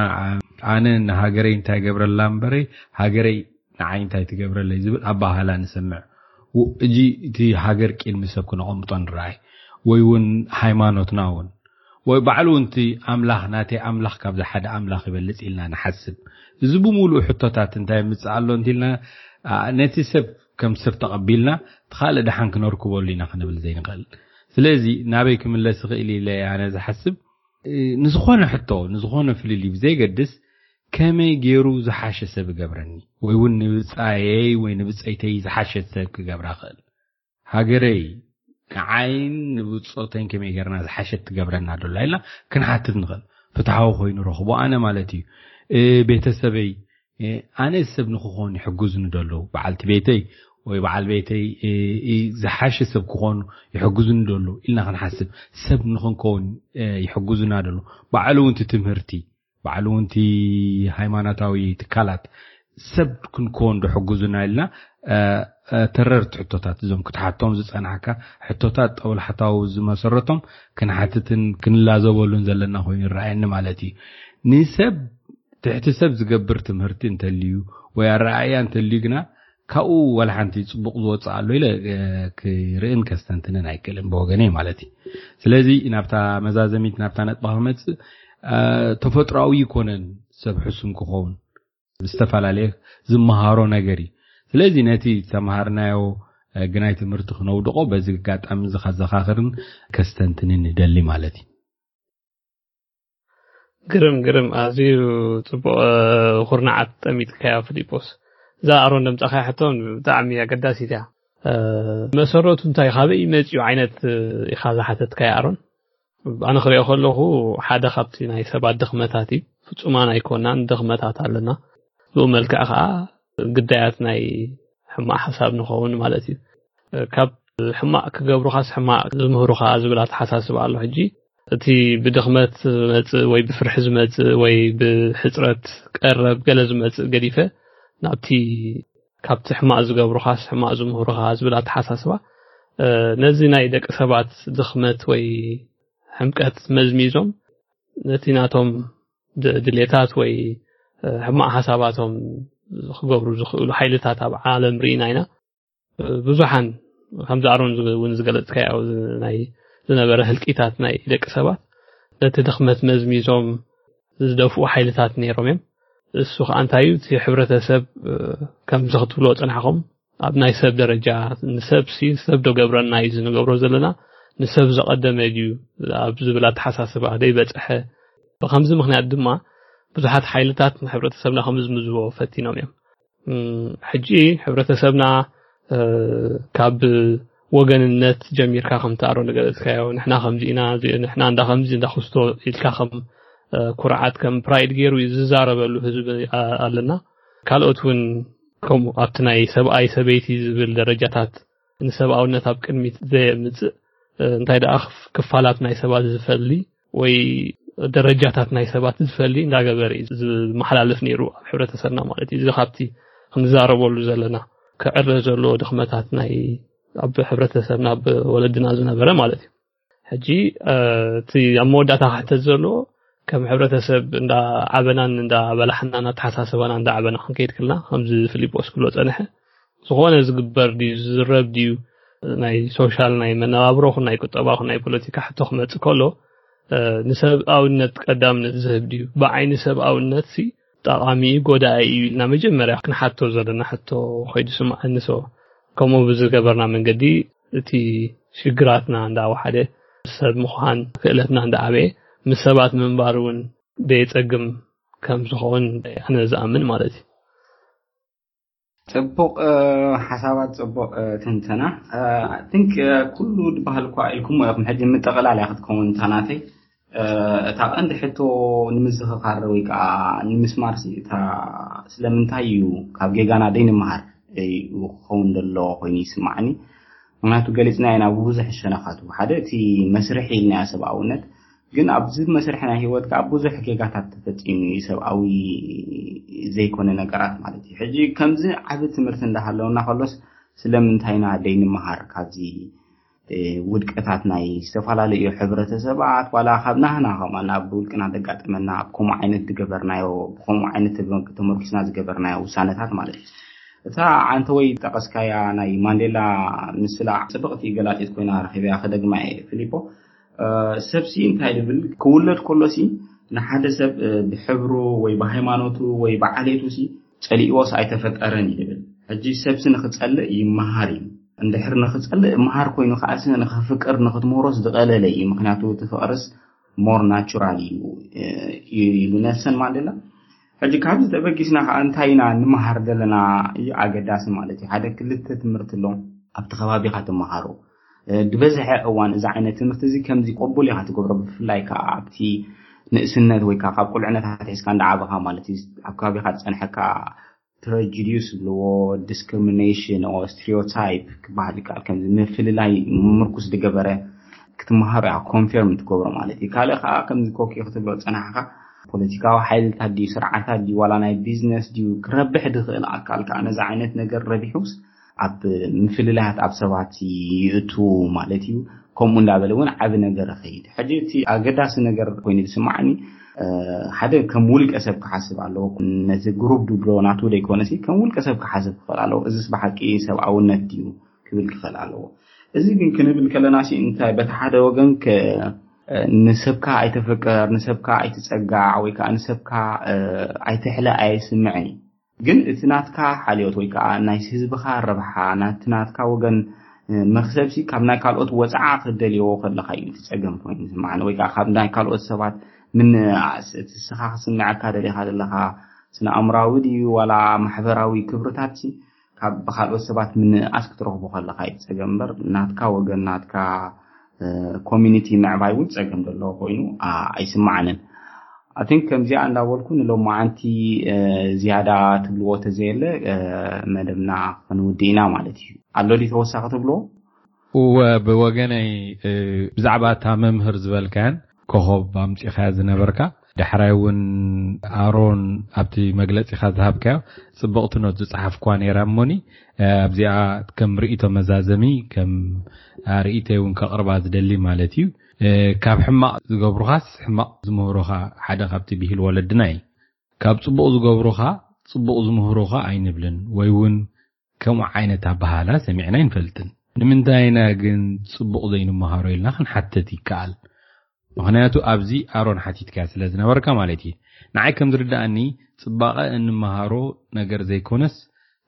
ኣነ ንሃገረይ እንታይ ገብረላ እምበረይ ሃገረይ ንዓይ እንታይ ትገብረለይ ዝብል ኣባህላ ንሰምዕ። እጂ እቲ ሃገር ቅድሚ ሰብ ክነቐምጦ ንረኣይ፣ ወይ እውን ሃይማኖትና እውን፣ ወይ ባዕሉ እውን እቲ ኣምላኽ፣ ናተይ ኣምላኽ ካብዚ ሓደ ኣምላኽ ይበልጽ ኢልና ንሓስብ። እዚ ብምሉእ ሕቶታት እንታይ ምጽእ ኣሎ እንቲልና፣ ነቲ ሰብ ከም ሰብ ተቐቢልና፣ እቲ ካልእ ደሓን ክነርክበሉ ኢና ክንብል ዘይንኽእል። ስለዚ ናበይ ክምለስ ይኽእል ኢለ ኣነ ዝሓስብ፣ ንዝኾነ ሕቶ፣ ንዝኾነ ፍልልይ ብዘይገድስ፣ ከመይ ገይሩ ዝሓሸ ሰብ ይገብረኒ፣ ወይ እውን ንብጻየይ ወይ ንብጸይተይ ዝሓሸት ሰብ ክገብራ ክእል። ሃገረይ ንዓይን ንብጾተይን ከመይ ገይርና ዝሓሸት ትገብረና ዶላ ኢልና ክንሓትት ንኽእል። ፍትሓዊ ኮይኑ ረኽቦ ኣነ ማለት እዩ። ቤተሰበይ፣ ኣነ ሰብ ንክኾኑ ይሕግዙኒ ዶ ኣለዉ፣ በዓልቲ ቤተይ ወይ በዓል ቤተይ ዝሓሸ ሰብ ክኾኑ ይሕግዙኒ ዶ ኣለዉ ኢልና ክንሓስብ፣ ሰብ ንክንከውን ይሕግዙና ዶ ኣለዉ፣ ባዕሉ እውን እቲ ትምህርቲ፣ ባዕሉ እውን እቲ ሃይማኖታዊ ትካላት ሰብ ክንከውን ዶ ይሕግዙና ኢልና ተረርቲ ሕቶታት፣ እዞም ክትሓቶም ዝጸናሕካ ሕቶታት ጠውላሕታዊ ዝመሰረቶም ክንሓትትን ክንላዘበሉን ዘለና ኮይኑ ይረኣየኒ ማለት እዩ። ንሰብ ትሕቲ ሰብ ዝገብር ትምህርቲ እንተልዩ ወይ ኣረኣእያ እንተልዩ ግና ካብኡ ዋላ ሓንቲ ጽቡቕ ዝወጽእ ኣሎ ኢለ ክርእን ከስተንትንን ኣይክእልን ብወገነይ ማለት እዩ። ስለዚ ናብታ መዛዘሚት ናብታ ነጥባ ክመጽእ፣ ተፈጥሮኣዊ ይኮነን ሰብ ሕሱም ክኸውን ዝተፈላለየ ዝመሃሮ ነገር እዩ። ስለዚ ነቲ ዝተምሃርናዮ ግናይ ትምህርቲ ክነውድቆ በዚ ኣጋጣሚ እዚ ከዘኻኽርን ከስተንትንን ንደሊ ማለት እዩ። ግርም ግርም፣ ኣዝዩ ጽቡቕ ኩርናዓት ጠሚጥካዮ ፊሊጶስ። እዛ ኣሮን ደምጻኻያ ሕቶ ብጣዕሚ ኣገዳሲት እያ። መሰረቱ እንታይ፣ ካበይ መጺኡ ዓይነት ኢኻ ዝሓተትካዮ ኣሮን? ኣነ ክሪኦ ከለኹ ሓደ ካብቲ ናይ ሰባት ድኽመታት እዩ። ፍጹማን ኣይኮናን፣ ድኽመታት ኣለና። ብኡ መልክዕ ከዓ ግዳያት ናይ ሕማቕ ሓሳብ ንኸውን ማለት እዩ። ካብ ሕማቕ ክገብሩኻስ ሕማቕ ዝምህሩኻ ዝብል ኣተሓሳስባ ኣሎ። ሕጂ እቲ ብድኽመት ዝመጽእ ወይ ብፍርሒ ዝመጽእ ወይ ብሕጽረት ቀረብ ገለ ዝመጽእ ገዲፈ ናብቲ ካብቲ ሕማቕ ዝገብሩኻስ ሕማቕ ዝምህሩኻ ዝብል ኣተሓሳስባ ነዚ ናይ ደቂ ሰባት ድኽመት ወይ ሕምቀት መዝሚዞም ነቲ ናቶም ድሌታት ወይ ሕማቕ ሓሳባቶም ክገብሩ ዝኽእሉ ሓይልታት ኣብ ዓለም ርኢና ኢና። ብዙሓን ከምዚ ኣሮን እውን ዝገለጽካዮ ናይ ዝነበረ ህልቂታት ናይ ደቂ ሰባት ነቲ ድኽመት መዝሚዞም ዝደፍኡ ሓይልታት ነይሮም እዮም። እሱ ከዓ እንታይ እዩ፣ እቲ ሕብረተሰብ ከምዚ ክትብልዎ ጽናሕኹም ኣብ ናይ ሰብ ደረጃ ንሰብ ሲ ሰብ ዶ ገብረና እዩ ዝንገብሮ ዘለና፣ ንሰብ ዘቐደመ ድዩ ኣብ ዝብል ኣተሓሳስባ ደይበጽሐ። ብከምዚ ምኽንያት ድማ ብዙሓት ሓይልታት ንሕብረተሰብና ከምዝምዝዎ ፈቲኖም እዮም። ሕጂ ሕብረተሰብና ካብ ወገንነት ጀሚርካ ከም ትኣሮ ንገለጽካዮ፣ ንሕና ከምዚ ኢና፣ ንሕና እንዳ ከምዚ እንዳ ክስቶ ኢልካ ከም ኩርዓት ከም ፕራይድ ገይሩ እዩ ዝዛረበሉ ህዝቢ ኣለና። ካልኦት እውን ከምኡ ኣብቲ ናይ ሰብኣይ ሰበይቲ ዝብል ደረጃታት ንሰብኣውነት ኣብ ቅድሚት ዘየምጽእ፣ እንታይ ደኣ ክፋላት ናይ ሰባት ዝፈሊ ወይ ደረጃታት ናይ ሰባት ዝፈሊ እንዳገበረ እዩ ዝመሓላለፍ ነይሩ ኣብ ሕብረተሰብና ማለት እዩ። እዚ ካብቲ ክንዛረበሉ ዘለና ክዕረ ዘለዎ ድኽመታት ናይ ኣብ ሕብረተሰብና ኣብ ወለድና ዝነበረ ማለት እዩ። ሕጂ እቲ ኣብ መወዳእታ ክሕተት ዘለዎ ከም ሕብረተሰብ እንዳ ዓበናን እንዳ በላሕናን ኣተሓሳስባና እንዳ ዓበና ክንከይድ ክልና ከምዚ ፊሊጶስ ክብሎ ጸንሐ ዝኾነ ዝግበር ድዩ ዝዝረብ ድዩ ናይ ሶሻል ናይ መነባብሮ ኹን ናይ ቁጠባ ኹን ናይ ፖለቲካ ሕቶ ክመጽእ ከሎ ንሰብኣውነት ቀዳምነት ዝህብ ድዩ? ብዓይኒ ሰብኣውነት ሲ ጠቓሚ እዩ ጎዳኢ እዩ ኢልና መጀመርያ ክንሓቶ ዘለና ሕቶ ኾይዱ ስምዓኒ። ሶ ከምኡ ብዝገበርና መንገዲ እቲ ሽግራትና እንዳወሓደ ሰብ ምዃን ክእለትና እንዳዓበየ ምስ ሰባት ምንባር እውን ደየጸግም ከም ዝኸውን ኣነ ዝኣምን ማለት እዩ። ጽቡቕ ሓሳባት፣ ጽቡቕ ትንተና። ቲንክ ኩሉ ዝበሃል እኳ ኢልኩሞ ኢኹም። ሕጂ ምጥቕላል እያ ክትከውን እታ ናተይ። እታ ቀንዲ ሕቶ ንምዝኽኻር ወይ ከዓ ንምስማር ሲ እታ ስለምንታይ እዩ ካብ ጌጋና ደይንምሃር እዩ ክኸውን ዘሎ ኮይኑ ይስማዓኒ። ምክንያቱ ገሊፅና ኢና ብብዙሕ ሸነኻቱ። ሓደ እቲ መስርሒ ኢልናያ ሰብኣውነት፣ ግን ኣብዚ መስርሒ ናይ ህይወት ከዓ ብዙሕ ጌጋታት ተፈፂሙ እዩ፣ ሰብኣዊ ዘይኮነ ነገራት ማለት እዩ። ሕጂ ከምዚ ዓቢ ትምህርቲ እንዳሃለውና ከሎስ ስለምንታይና ደይንምሃር ካብዚ ውድቀታት ናይ ዝተፈላለዩ ሕብረተሰባት ዋላ ካብ ናህና ከማ ናብ ውልቅና ዘጋጠመና ኣብ ከምኡ ዓይነት ዝገበርናዮ ብከምኡ ዓይነት ተመርኪስና ዝገበርናዮ ውሳነታት ማለት እዩ። እታ ዓንተ ወይ ጠቀስካያ ናይ ማንዴላ ምስላ ጽብቕቲ ገላጺት ኮይና ረኺበያ ከደግማ እየ ፊሊፖ። ሰብሲ እንታይ ዝብል ክውለድ ከሎሲ ንሓደ ሰብ ብሕብሩ ወይ ብሃይማኖቱ ወይ ብዓሌቱ ሲ ጸሊእዎስ ኣይተፈጠረን እዩ ዝብል። ሕጂ ሰብሲ ንኽጸልእ ይመሃር እዩ። እንድሕር ንኽጸልእ መሃር ኮይኑ ከዓሲ ንኽፍቅር ንኽትምህሮስ ዝቐለለ እዩ። ምክንያቱ እቲ ፍቅርስ ሞር ናቹራል እዩ ኢሉ ኔልሰን ማንዴላ። ሕጂ ካብዚ ተበጊስና ከዓ እንታይ ኢና ንመሃር ዘለና እዩ ኣገዳሲ ማለት እዩ። ሓደ ክልተ ትምህርቲ ኣሎ ኣብቲ ከባቢካ ትመሃሮ። ዝበዝሐ እዋን እዚ ዓይነት ትምህርቲ እዚ ከምዚ ቅቡል ኢካ ትገብሮ፣ ብፍላይ ከዓ ኣብቲ ንእስነት ወይ ከዓ ካብ ቁልዕነት ኣትሒዝካ እንዳዓበኻ ማለት እዩ ኣብ ከባቢካ ዝፀንሐካ ፕረጁዲስ ዝብልዎ ዲስክሪሚኔሽን ኦ ስቴሪዮታይፕ ክበሃል ይከኣል። ከምዚ ምፍልላይ ምርኩስ ዝገበረ ክትመሃሮ እያ ኮንፌርም ትገብሮ ማለት እዩ። ካልእ ከዓ ከምዚ ኮኪ ክትብሎ ዝፀናሕካ ፖለቲካዊ ሓይልታት ድዩ ስርዓታት ድዩ ዋላ ናይ ቢዝነስ ድዩ ክረብሕ ዝኽእል ኣካል ከዓ ነዚ ዓይነት ነገር ረቢሑስ ኣብ ምፍልላያት ኣብ ሰባት ይእቱ ማለት እዩ። ከምኡ እንዳበለ እውን ዓቢ ነገር ይኸይድ። ሕጂ እቲ ኣገዳሲ ነገር ኮይኑ ዝስማዓኒ ሓደ ከም ውልቀ ሰብ ክሓስብ ኣለዎ። ነቲ ግሩፕ ድብሎ ናቱ ዘይኮነሲ ከም ውልቀ ሰብ ክሓስብ ክኽእል ኣለዎ። እዚስ ብሓቂ ሰብኣውነት ድዩ ክብል ክኽእል ኣለዎ። እዚ ግን ክንብል ከለና ሲ እንታይ በቲ ሓደ ወገን ንሰብካ ኣይተፈቀር፣ ንሰብካ ኣይትጸጋዕ ወይ ከዓ ንሰብካ ኣይትሕለ ኣየስምዕን እዩ። ግን እቲ ናትካ ሓልዮት ወይ ከዓ ናይ ህዝብኻ ረብሓ ናቲ ናትካ ወገን መክሰብሲ ካብ ናይ ካልኦት ወፅዓ ክደልየዎ ከለካ እዩ እቲ ፀገም ኮይኑ ዝስማዓኒ ወይ ከዓ ካብ ናይ ካልኦት ሰባት ምንኣስ እቲ ስኻ ክስምዐካ ደሊካ ዘለካ ስነ ኣእምራዊ ድዩ ዋላ ማሕበራዊ ክብርታት ካብ ብካልኦት ሰባት ምንኣስ ክትረክቦ ከለካ እዩ ፀገም እምበር ናትካ ወገን ናትካ ኮሚኒቲ ምዕባይ እውን ፀገም ዘለዎ ኮይኑ ኣይስማዓንን። ኣን ከምዚኣ እንዳበልኩ ንሎማዓንቲ ዝያዳ ትብልዎ ተዘየለ መደብና ክንውድእ ኢና ማለት እዩ። ኣሎ ዲ ተወሳኺ ትብልዎ? እወ ብወገነይ ብዛዕባ እታ መምህር ዝበልካያን ኮኸብ ኣምፂኻያ ዝነበርካ ዳሕራይ እውን ኣሮን ኣብቲ መግለፂኻ ዝሃብካዮ ፅብቕቲ ኖት ዝፀሓፍኳ ነይራ እሞኒ ኣብዚኣ ከም ርእይቶ መዛዘሚ ከም ርእይተይ እውን ከቕርባ ዝደሊ ማለት እዩ። ካብ ሕማቕ ዝገብሩኻስ ሕማቕ ዝምህሩኻ ሓደ ካብቲ ብሂል ወለድና እዩ። ካብ ፅቡቕ ዝገብሩኻ ፅቡቕ ዝምህሩኻ ኣይንብልን ወይ እውን ከምኡ ዓይነት ኣበሃህላ ሰሚዕና ኣይንፈልጥን። ንምንታይ ኢና ግን ፅቡቕ ዘይንመሃሮ ኢልና ክንሓትት ይከኣል። ምኽንያቱ ኣብዚ ኣሮን ሓቲትካያ ስለ ዝነበርካ ማለት እዩ። ንዓይ ከም ዝርድኣኒ ፅባቐ እንመሃሮ ነገር ዘይኮነስ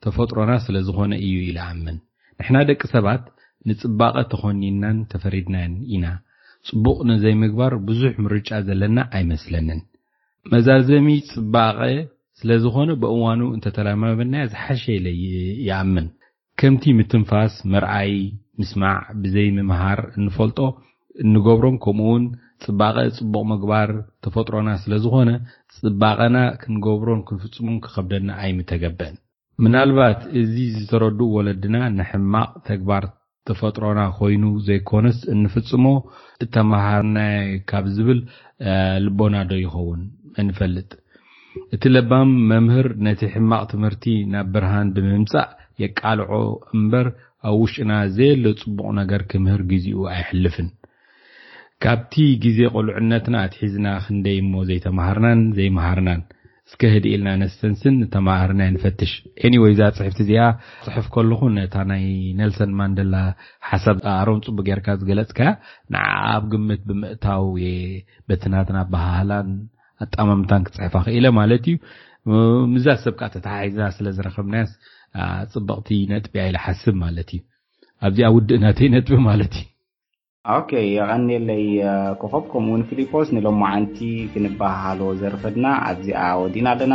ተፈጥሮና ስለ ዝኾነ እዩ ኢለ ኣምን። ንሕና ደቂ ሰባት ንፅባቐ ተኾኒንናን ተፈሪድናን ኢና። ፅቡቕ ንዘይምግባር ብዙሕ ምርጫ ዘለና ኣይመስለንን። መዛዘሚ ፅባቐ ስለ ዝኾነ ብእዋኑ እንተተለማመድናዮ ዝሓሸ ኢለ ይኣምን። ከምቲ ምትንፋስ፣ ምርኣይ፣ ምስማዕ፣ ብዘይ ምምሃር እንፈልጦ እንገብሮም ከምኡውን ፅባቐ ፅቡቕ ምግባር ተፈጥሮና ስለ ዝኾነ ፅባቐና ክንገብሮን ክንፍፅሞን ክኸብደና ኣይምተገበን። ምናልባት እዚ ዝተረድኡ ወለድና ንሕማቕ ተግባር ተፈጥሮና ኮይኑ ዘይኮነስ እንፍፅሞ እተመሃርናዮ ካብ ዝብል ልቦና ዶ ይኸውን? መን ይፈልጥ? እቲ ለባም መምህር ነቲ ሕማቕ ትምህርቲ ናብ ብርሃን ብምምጻእ የቃልዖ እምበር ኣብ ውሽጥና ዘየለ ጽቡቕ ነገር ክምህር ግዜኡ ኣየሕልፍን። ካብቲ ግዜ ቁልዕነትና ኣትሒዝና ክንደይ እሞ ዘይተማሃርናን ዘይመሃርናን። እስከ ህድእ ኢልና ነስተንትን ንተማሃርናዮ ንፈትሽ። ኤኒወይ እዛ ጽሕፍቲ እዚኣ ጽሕፍ ከለኹ ነታ ናይ ኔልሰን ማንደላ ሓሳብ ኣሮም ጽቡቅ ጌርካ ዝገለጽካያ ንዓ ኣብ ግምት ብምእታው እየ በቲ ናትና ኣበሃህላን ኣጣማምታን ክጽሕፋ ክኢለ ማለት እዩ። ምዛ ሰብ ከዓ ተተሓሒዝና ስለ ዝረኸብናያስ ጽብቕቲ ነጥቢ እያ ኢለ ሓስብ ማለት እዩ። ኣብዚኣ ውድእ ናተይ ነጥቢ ማለት እዩ። ኦኬ፣ የቐንየለይ ኮኸብ፣ ከምኡውን ፊሊፖስ። ንሎማዓንቲ ክንበሃሃሎ ዘርፈድና ኣብዚኣ ወዲና ኣለና።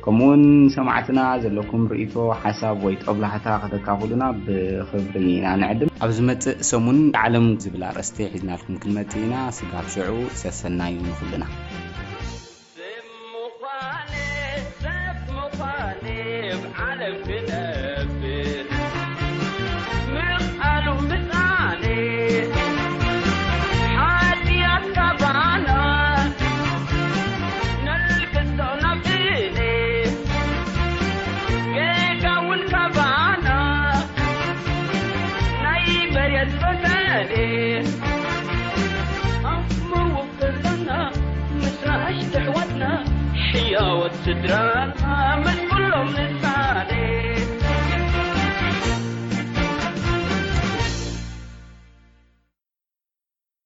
ከምኡውን ሰማዕትና ዘለኩም ርእይቶ፣ ሓሳብ ወይ ጦብላሕታ ከተካፍሉና ብኽብሪ ኢና ንዕድም። ኣብ ዝመጽእ ሰሙን ዓለም ዝብል ኣርእስቲ ሒዝናልኩም ክንመጽእ ኢና። ስጋብ ሽዑ ሰሰናዩ ንኹልና። ዳወት ስድራና